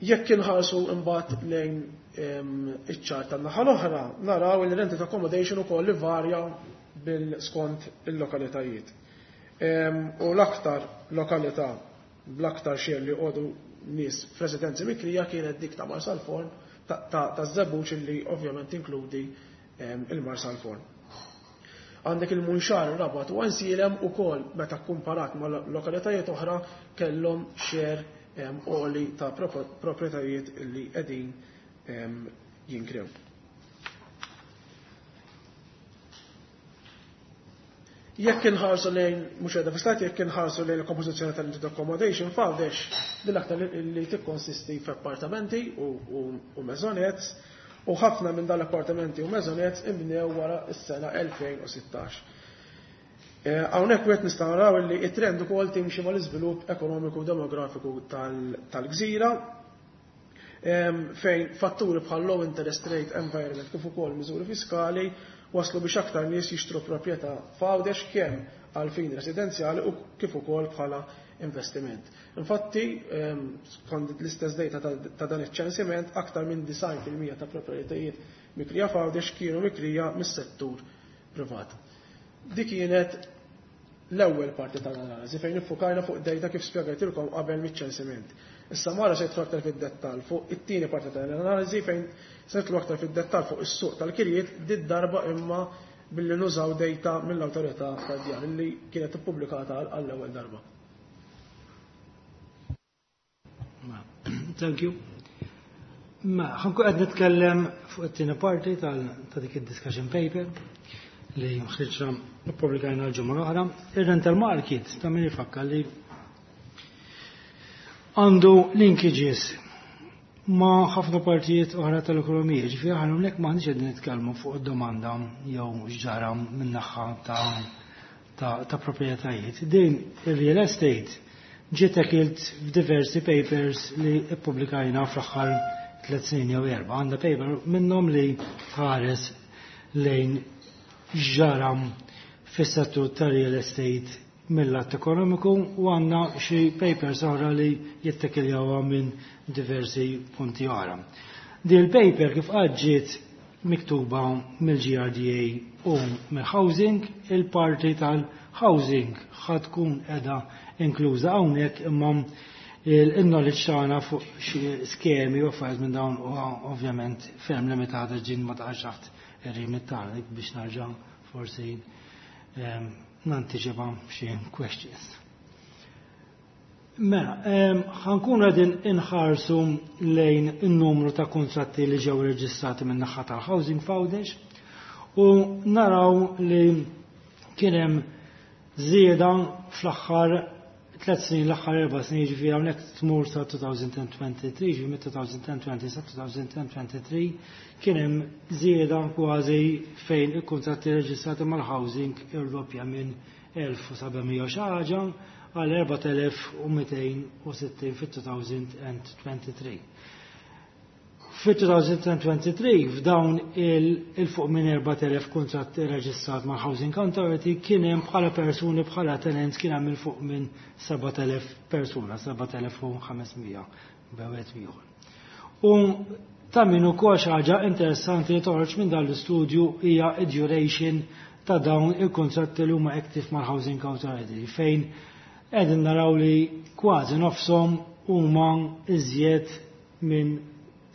Speaker 4: Jekk inħarsu imbagħad lejn iċ-ċart tan-naħa l-oħra, naraw li rented accommodation ukoll li varja bil-skont il-lokalitajiet. U l-aktar lokalità bl-aktar share li joqogħdu nies f'residenzi mikrija kienet dik ta' Marsalforn, ta' Żebbuġ, li ovvjament inkludi il-Marsalforn. Għandek il-Munxar, Rabat u Għajnsielem ukoll, meta kumparat ma' lokalitajiet oħra, kellhom share għoli ta' proprjetajiet li qegħdin jinkrew. Jekk inħarsu lejn, mhux qiegħda fi, jekk inħarsu lejn il-kompożizzjoni tal-rented accommodation f'Għawdex, din aktar li tikkonsisti f'appartamenti u maisonettes, u ħafna minn dan l-appartamenti u maisonettes inbnew wara s-sena 2016. Hawnhekk wieħed nistgħu naraw li t-trend ukoll timxi mal-iżvilupp ekonomiku u demografiku tal-gżira, fejn fatturi bħal low interest rate environment kif ukoll miżuri fiskali waslu biex aktar nies jixtru proprjetà f'Għawdex, kemm għal fin residenzjali u kif ukoll bħala investiment. Infatti, skont l-istess data ta' dan iċ-ċensiment, aktar minn 90% ta' proprjetajiet mikrija f'Għawdex kienu mikrija mis-settur privat. Dik kienet l-ewwel parti tal-analiżi fejn iffukajna fuq data kif spjegajtilkom qabel miċ-ċensiment. Issa Mara se jidħol aktar fid-dettall fuq it-tieni parti tal-analiżi fejn se nidħlu aktar fid-dettall fuq is-suq tal-kirjiet did-darba imma billi nużaw data mill-awtorità tad-djar li kienet ippubblikata għall-ewwel darba.
Speaker 2: Thank you. Ma, ħa nkun qed nitkellem fuq it-tieni parti ta' dik id-discussion paper li ħriġna ippubblikajna l-ġimgħa l-oħra. Ir-rental market ta' min ifakkar li għandu linkages ma' ħafna partijiet oħra tal-ekonomija. Ġifieri aħna hawnhekk m'aħniex qegħdin nitkellmu fuq id-domanda jew x'ġara min-naħa ta' proprjetajiet. Din ir-real estate ġiet tackled f'diversi papers li ippubblikajna fl-aħħar 3 snin jew 4. Għandna paper minnhom li tħares lejn x'ġara fis-settur tar-real estate mill-lat ekonomiku u għandna xi papers oħra li jittekiljawha minn diversi punti oħra. Di l-paper kif ġiet miktuba mill-GRDA u mill-housing, il-parti tal-housing ħa tkun qiegħda inkluża hawnhekk, imma il-knowledge tagħna fuq xi skemi u affarijiet minn dawn huwa ovvjament ferm limitata, ġin ma taqax taħt ir-remit tagħna biex narġa' forsi nantiċipa xi questions. Mela, ħa nkun qegħdin inħarsu lejn in-numru ta' kontratti li ġew reġistrati minn naħa tal-Housing f'Għawdex u naraw li kien hemm żieda fl-aħħar 3 snin, l-aħħar 4 snin, ġifieri hawnhekk tmur sa 2023, ġifieri mit-2020 sa 2023 kien hemm żieda kważi fejn il-kontratti reġistrati mal-housing irdoppja minn 1700 xi ħaġa għal 4260 fit-2023. Fit-2023, f'dawn il-fuq minn 4000 kontratti reġistrat ma' Housing Authority, kien hemm bħala persuni, bħala tenants, kien hemm il-fuq minn 7000 persuna, 7500 b'wieħed ieħor. U ta' min ukoll xi ħaġa interessanti li toħroġ minn dan l-istudju hija duration ta' dawn il-kontratti li huma active mal-Housing Authority, fejn qegħdin naraw li kważi nofshom huma iżjed minn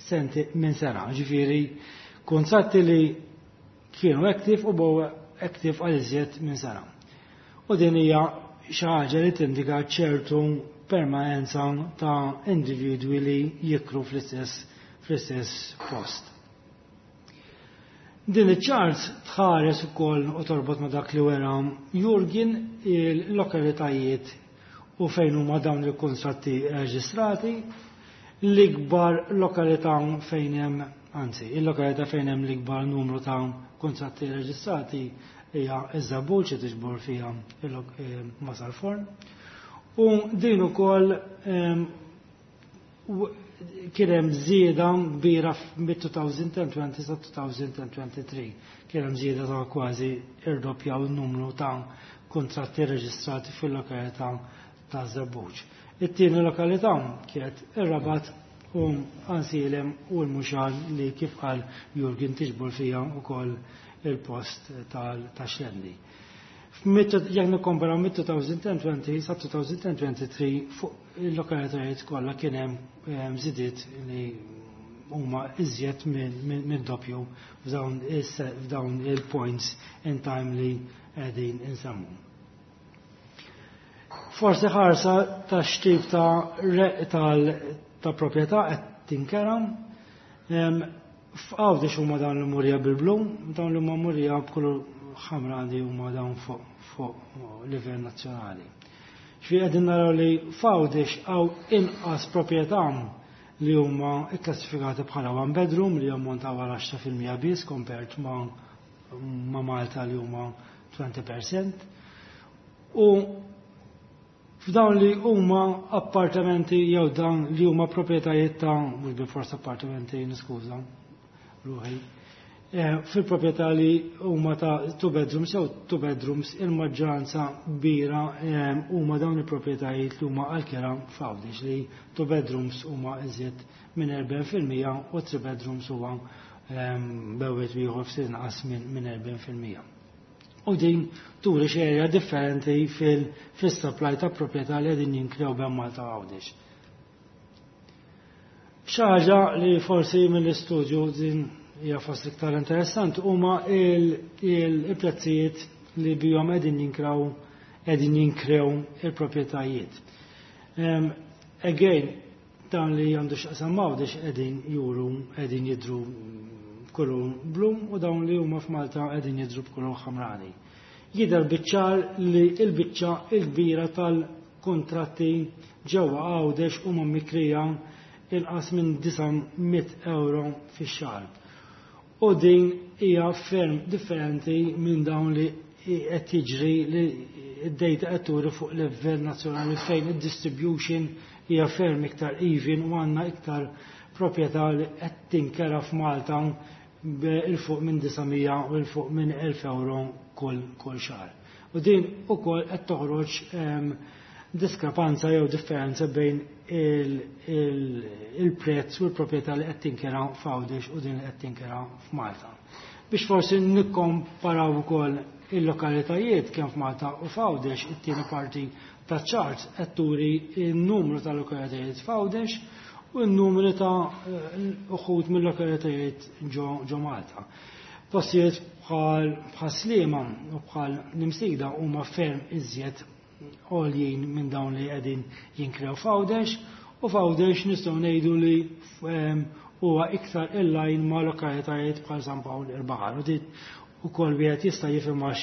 Speaker 2: senti minn sena, ġifieri kontratti li kienu active u baqgħu active għal iżjed minn sena. U din hija xi ħaġa li tindika ċertu permanenza ta' individwi li jikru fl-istess post. Din iċ-chart tħares ukoll u torbot ma' dak li wera Jurgen, il-lokalitajiet u fejn huma dawn il-kontratti reġistrati. L-ikbar lokalità fejn hemm, anzi, il-lokalità fejn hemm l-ikbar numru ta' kontratti reġistrati hija iż-Żebbuġ, li tiġbor fiha Marsalforn. U din ukoll kien hemm żieda kbira mit-2020 sa 2023. Kien hemm żieda ta' kważi irdoppjaw il-numru ta' kontratti reġistrati fil-lokalità ta' Żebbuġ. It-tieni lokalità kienet ir-Rabat u Għajnsielem u l-Munxar, li kif qal Jurgen tiġbor fiha wkoll il-post tal-Xlendi. Jekk nikkomparaw mit-2020 sa 2023, fuq il-lokalitajiet kollha kien hemm żidiet li huma iżjed minn doppju f'dawn il-points in time li qegħdin insemmu. Forsi ħarsa ta' x'tip ta' proprjetà qed tinkera. F'Għawdex huma dawn l-murija bil-blu, dawn li huma murija b'kulur ħamra għandi huma dawn fuq livell nazzjonali. Ġifieri qegħdin naraw li f'Għawdex hawn inqas proprjetà li huma kklassifikati bħala one bedroom, li jammontaw għal 10% biss compared ma' Malta li huma 20%. U f'dawn li huma appartamenti jew dawn li huma proprjetajiet ta', mhux bil-forsa appartamenti, niskuża ruħi. Fil-proprjetà li huma ta' two bedrooms jew two bedrooms, il-maġġoranza kbira huma dawn il-proprjetajiet li huma għal-kera f'Għawdex, li two bedrooms huma iżjed minn 40% u three bedrooms huwa bejn ieħor ftit inqas minn 40%. U din turi xejra differenti fil-supply ta' proprjetà li qegħdin jinkrew bejn Malta u Għawdex. Xi ħaġa li forsi mill-istudju din hija fost iktar interessant huma il-prezzijiet li bihom qegħdin jinkrew il-proprjetajiet. Again, dan li għandu x'jaqsam Għawdex qegħdin juru qegħdin jidru b'kulur blu u dawn li huma f'Malta qegħdin jidru b'kulur ħamrani. Jidher biċ-ċar li l-biċċa l-kbira tal-kontratti ġewwa Għawdex huma mikrija inqas minn 900 euro fix-xahar. U din hija ferm differenti minn dawn li qed jiġri li id-data qed turi fuq livell nazzjonali, fejn id-distribution hija ferm iktar even u għandna iktar proprjetà li qed tinkera f'Malta 'il fuq minn 900 u 'il fuq minn 1000 euro kull xahar. U din ukoll qed toħroġ diskrepanza jew differenza bejn il-prezz u l-proprjetà li qed tinkera f'Għawdex u din li qed tinkera f'Malta. Biex forsi nikkomparaw ukoll il-lokalitajiet kemm f'Malta u f'Għawdex, it-tieni parti ta' chart qed turi n-numru ta' lokalitajiet f'Għawdex u n-numru ta' uħud mill-lokalitajiet ġo Malta. Postijiet bħal Sliema u bħal l-Imsida huma ferm iżjed għoljin minn dawn li qegħdin jinkrew f'Għawdex, u f'Għawdex nistgħu ngħidu li huwa iktar in line ma' lokalitajiet bħal San Pawl il-Baħar. U dit ukoll wieħed jista' jifhem għax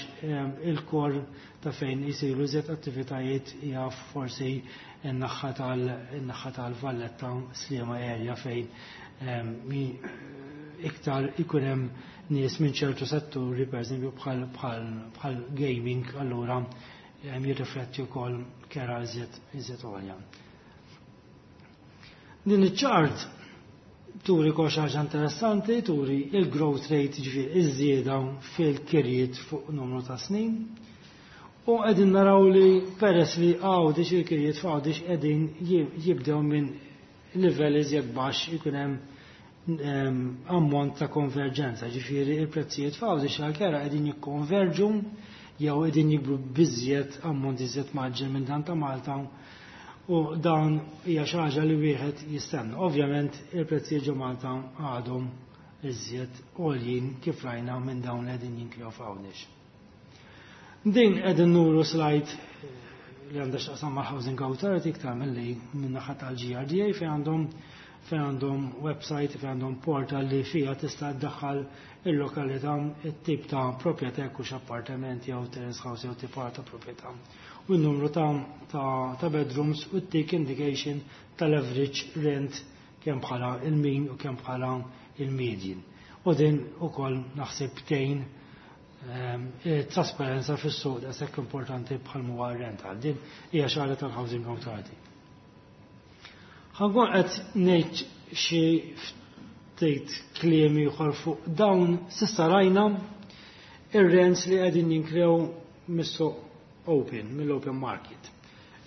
Speaker 2: il-core ta' fejn jisiru iżjed attivitajiet hija forsi n-naħa tal-Valletta, Sliema area, fejn iktar ikun hemm nies minn ċertu setturi, per eżempju bħal gaming, allura jirrifletti wkoll kera iżjed għolja. Din iċ-chart turi kol ħaġa interessanti, turi il-growth rate, ġifieri iż-żieda fil-kirjiet fuq numru ta' snin. U qegħdin naraw li peress li Għawdex, il-kirjiet f'Għawdex qegħdin jibdew minn livell iżjed baxx, ikun hemm ammont ta' konverġenza, ġifieri il-prezzijiet f'Għawdex għal-kera qegħdin jikkonverġu jew qegħdin jikbru b'iżjed ammont iżjed mgħaġġel minn dan ta' Malta, u dan hija xi ħaġa li wieħed jistenna. Ovvjament il-prezzijiet ġo Malta għadhom iżjed għoljin, kif rajna, minn dawn li qegħdin jinkrew f'Għawdex. Din qegħdin nuru slide li għandha x'taqsam mal-Housing Authority iktar milli minn naħa tal-GRDA, fejn għandhom website, fejn għandhom portal li fija tista' tdaħħal il-lokalità, it-tip ta' proprjetà, jekk hux appartement jew terrace house jew tip ta' proprjetà, u n-numru ta' bedrooms, u tik indication tal-average rent kemm bħala il-mean u kemm bħala il-median. U din ukoll naħseb tgħin trasparenza fis-suq daqshekk importanti bħal huwa rental. Din hija xi ħaġa tal-Housing Authority. Ħa nkun qed ngħid xi ftit kliem ieħor fuq dawn. S'issa rajna ir-rents li qegħdin jinkrew mis-suq open, mill-open market.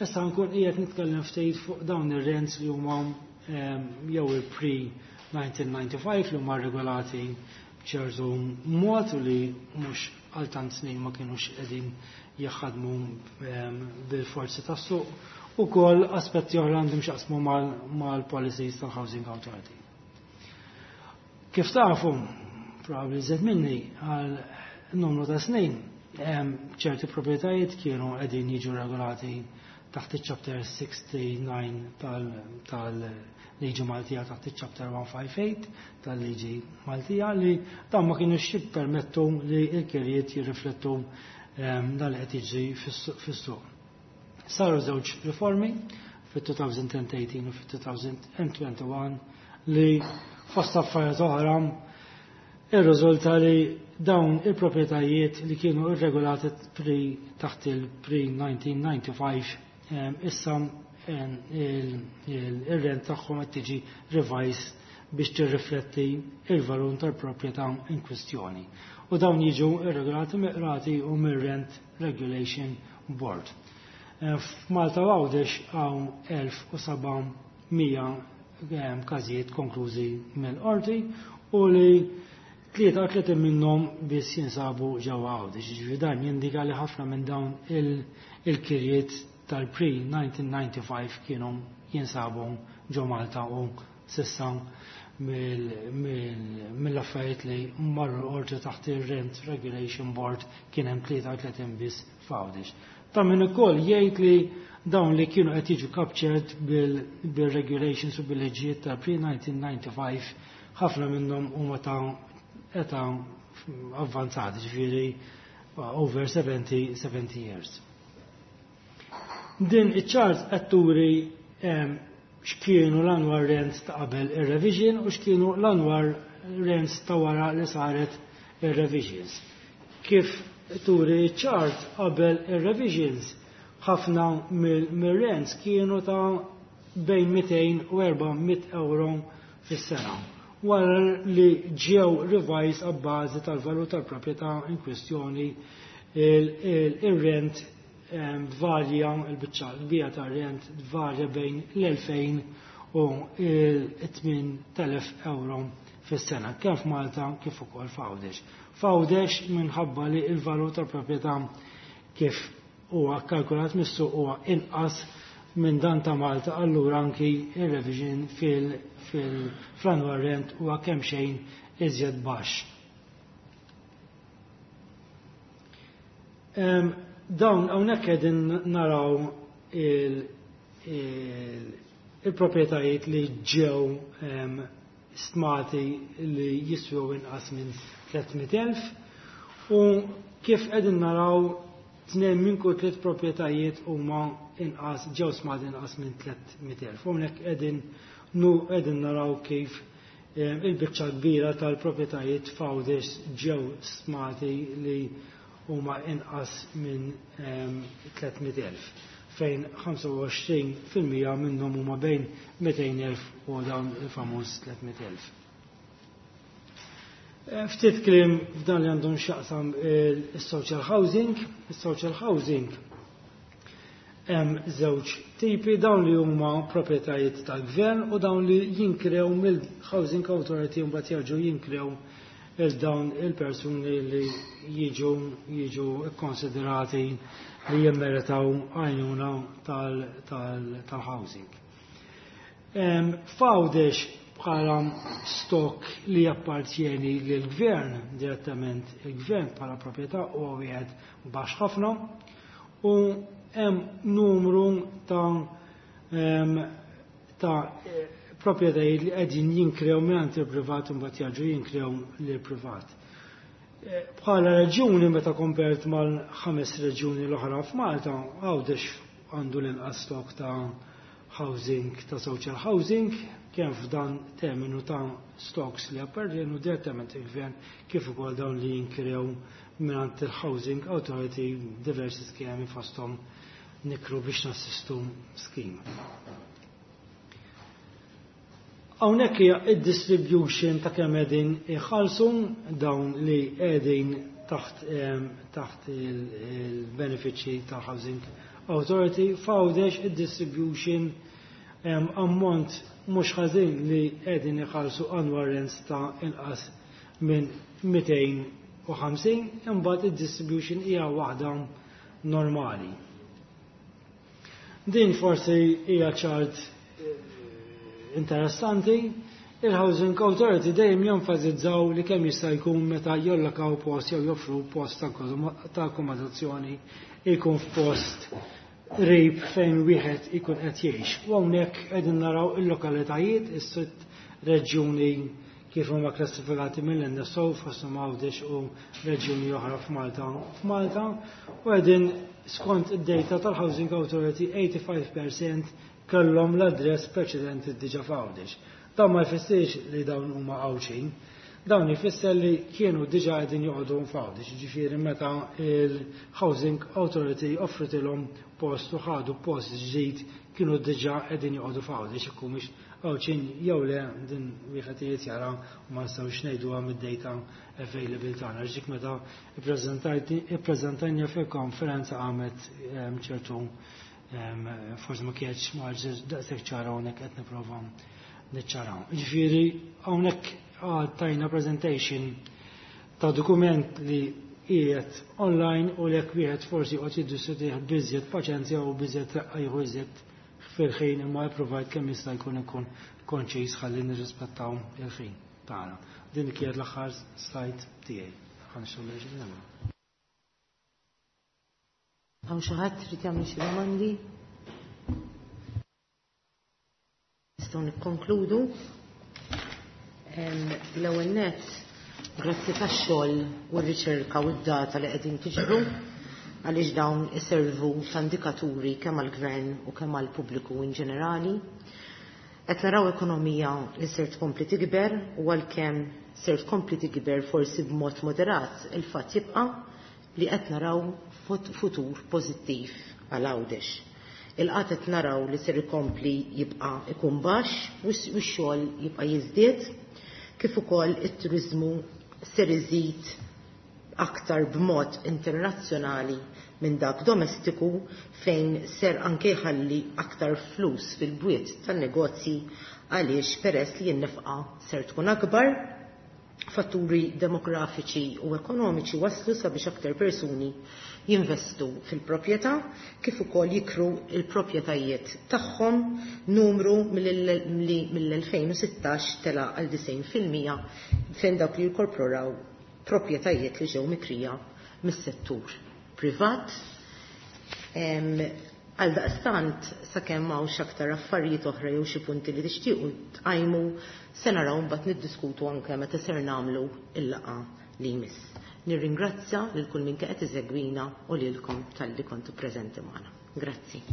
Speaker 2: Issa nkun qiegħed nitkellem ftit fuq dawn ir-rents li huma jew il-pre-1995, li huma regolati b'ċertu mod u li mhux għal tant snin ma kienux qegħdin jaħdmu bil-forzi tas-suq, u kol aspetti oħra għandhom x'jaqsmu mal-policies tal-Housing Authority. Kif tafu, probabli iżjed minni, għal numru ta' snin, ċerti proprjetajiet kienu qegħdin jiġu regolati taħt il-chapter 69 tal-liġi Maltija, taħt il-chapter 158 tal-liġi Maltija, li dan ma kienu jippermettu li l-kirjiet jirriflettu dan li qed jiġri fis-suq. Saru żewġ riformi fit-2018 u fit-2021 li fost affarijiet oħra irriżulta li dawn il-proprjetajiet li kienu irregolati pre taħt il-pre-1995 issa il-rent tagħhom qed tiġi revised. biex tirrifletti il-valur tal-proprjetà in kwistjoni. U dawn jiġu irregolati mill-qrati u mir-Rent Regulation Board. F'Malta u Għawdex hawn 1700 każijiet konklużi mill-qorti u li 33 minnhom biss jinsabu ġewwa Għawdex. Jiġifieri dan jindika li ħafna minn dawn il-kirjiet tal-pre-1995 kienu jinsabu ġo Malta u s'issa mill-affarijiet li marru l-qorti taħt ir-Rent Regulation Board kien hemm 33 biss f'Għawdex. Ta' min ukoll jgħid li dawn li kienu qed jiġu captured bil-regulations u bil-liġijiet tal-pre-1995 ħafna minnhom huma ta' età avvanzati, ġifieri over 70, 70 years. Din iċ-chart qed turi x'kienu l-annual rents ta' qabel ir-revision u x'kienu l-annual rents ta' wara li saret ir-revisions. Kif turi ċ-chart, qabel ir-revisions ħafna mill-rents kienu ta' bejn 200 u 400 euro fis-sena. Wara li ġew revised abbażi tal-valur tal-proprjetà in kwestjoni, il-rent varja, il-biċċa kbira tar-rent varja bejn l-2000 u l-8000 euro fis-sena, kemm f'Malta kif ukoll f'Għawdex. F'Għawdex, minħabba li l-valur tal-proprjetà kif huwa kalkulat mis-suq huwa inqas minn dan ta' Malta, allura anki il-revision fil-annual rent huwa kemm xejn iżjed baxx. Dawn hawnhekk qegħdin naraw il-proprjetajiet li ġew stmati li jiswew inqas minn 300,000 u kif qegħdin naraw, tnejn minn kull tliet proprjetajiet huma inqas, ġew stmati inqas minn 300,000. Hawnhekk qegħdin naraw kif il-biċċa kbira tal-proprjetajiet f'Għawdex ġew stmati li huma inqas minn 300,000, fejn 25% minnhom huma bejn 200,000 u dawn il-famuż 300,000. Ftit kliem f'dan li għandhom x'jaqsam il-social housing. Il-social housing hemm żewġ tipi: dawn li huma proprjetajiet tal-gvern u dawn li jinkrew mill-Housing Authority u mbagħad jerġgħu jinkrew il dawn il-persuni li jiġu konsiderati li jimmeritaw għajnuna tal-housing. F'Għawdex, bħala stock li jappartjeni lill-gvern, direttament il-gvern bħala proprjetà, huwa wieħed baxx ħafna u hemm numru ta' proprjetajiet li qegħdin jinkrew mingħand il-privat u mbagħad jerġgħu jinkrew lill-privat. Bħala reġjuni, meta compared mal-ħames reġjuni l-oħra f'Malta, Għawdex għandu l-inqas stock ta' housing, ta' social housing, kemm f'dan terminu ta' stocks li appartienu direttament il-gvern kif ukoll dawn li jinkrew mingħand il-Housing Authority, diversi skemi, fosthom Nikru biex Nassistu scheme. Hawnhekk hija id-distribution ta' kemm qegħdin iħallsu dawn li qegħdin taħt il-benefiċċji tal-Housing Authority. F'Għawdex id-distribution, ammont mhux ħażin li qegħdin iħallsu annual rents ta' inqas minn 250, imbagħad id-distribution hija waħda normali. Din forsi hija chart interessanti. Il-Housing Authority dejjem jenfasizzaw li kemm jista' jkun meta jallokaw post jew joffru post ta' akkomodazzjoni jkun f'post qrib fejn wieħed ikun qed jgħix. U hawnhekk qegħdin naraw il-lokalitajiet, is-sitt reġjuni kif huma klassifikati mill-NSO, fosthom Għawdex u reġjuni oħra f'Malta, u qegħdin skont id-data tal-Housing Authority 85% kellhom l-address preċedenti diġà f'Għawdex. Dan ma jfissirx li dawn huma Għawdxin, dawn jfisser li kienu diġà qegħdin joqogħdu f'Għawdex, ġifieri meta il-Housing Authority offritilhom post u ħadu post ġdid kienu diġà qegħdin joqogħdu f'Għawdex, jekk mhux Għawdxin jew le, din wieħed irid jara u ma nistgħux ngħiduha mid-data available tagħna. Għax dik meta ippreżentajna fil-konferenza għamet ċertu forsi ma kienx ma daqshekk ċara, hawnhekk qed nipprova niċċaraw. Ġifieri hawnhekk tajna presentation ta' dokument li qiegħed online u lek wieħed forsi qed jiddiskutih b'iżjed paċenzja u b'iżjed reqqa, jieħu iżjed fil-ħin, imma jipprovajt kemm jista' jkun ikun konċis ħalli nirrispettaw il-ħin tagħna. Din kienet l-aħħar slide tiegħi. Ħa nixtieq.
Speaker 1: Hawn xi ħadd trid jagħmel xi domandi? Nistgħu nikkonkludu. L-ewwel nett, grazzi tax-xogħol u r-riċerka u d-data li qegħdin tiġbru, għaliex dawn iservu ta' indikaturi kemm għall-gvern u kemm għall-pubbliku in ġenerali. Qed naraw ekonomija li ser tkompli tikber u għalkemm ser tkompli tikber forsi b'mod moderat, il-fatt jibqa' li qed naraw futur pożittiv għal Għawdex. Il-qgħad qed naraw li ser ikompli jibqa' ikun baxx u x-xogħol jibqa' jiżdied, kif ukoll it-turiżmu ser iżid aktar b'mod internazzjonali minn dak domestiku, fejn ser anke jħalli aktar flus fil-bwiet tan-negozji, għaliex peress li n-nefqa ser tkun akbar. Fatturi demografiċi u ekonomiċi waslu sabiex aktar persuni jinvestu fil-proprjetà kif ukoll jikru il-proprjetajiet tagħhom, numru mill-2016 tela għal 90% fejn dawk li jkorporaw proprjetajiet li ġew mikrija mis-settur privat. Għal daqstant, sakemm hawnx aktar affarijiet oħra jew xi punti li tixtiequ tqajmu, se naraw mbagħad niddiskutu anke meta ser nagħmlu il-laqgħa li jmiss. Nirringrazzja lil kull min qed isegwina u lilkom talli kontu preżenti magħna. Grazzi.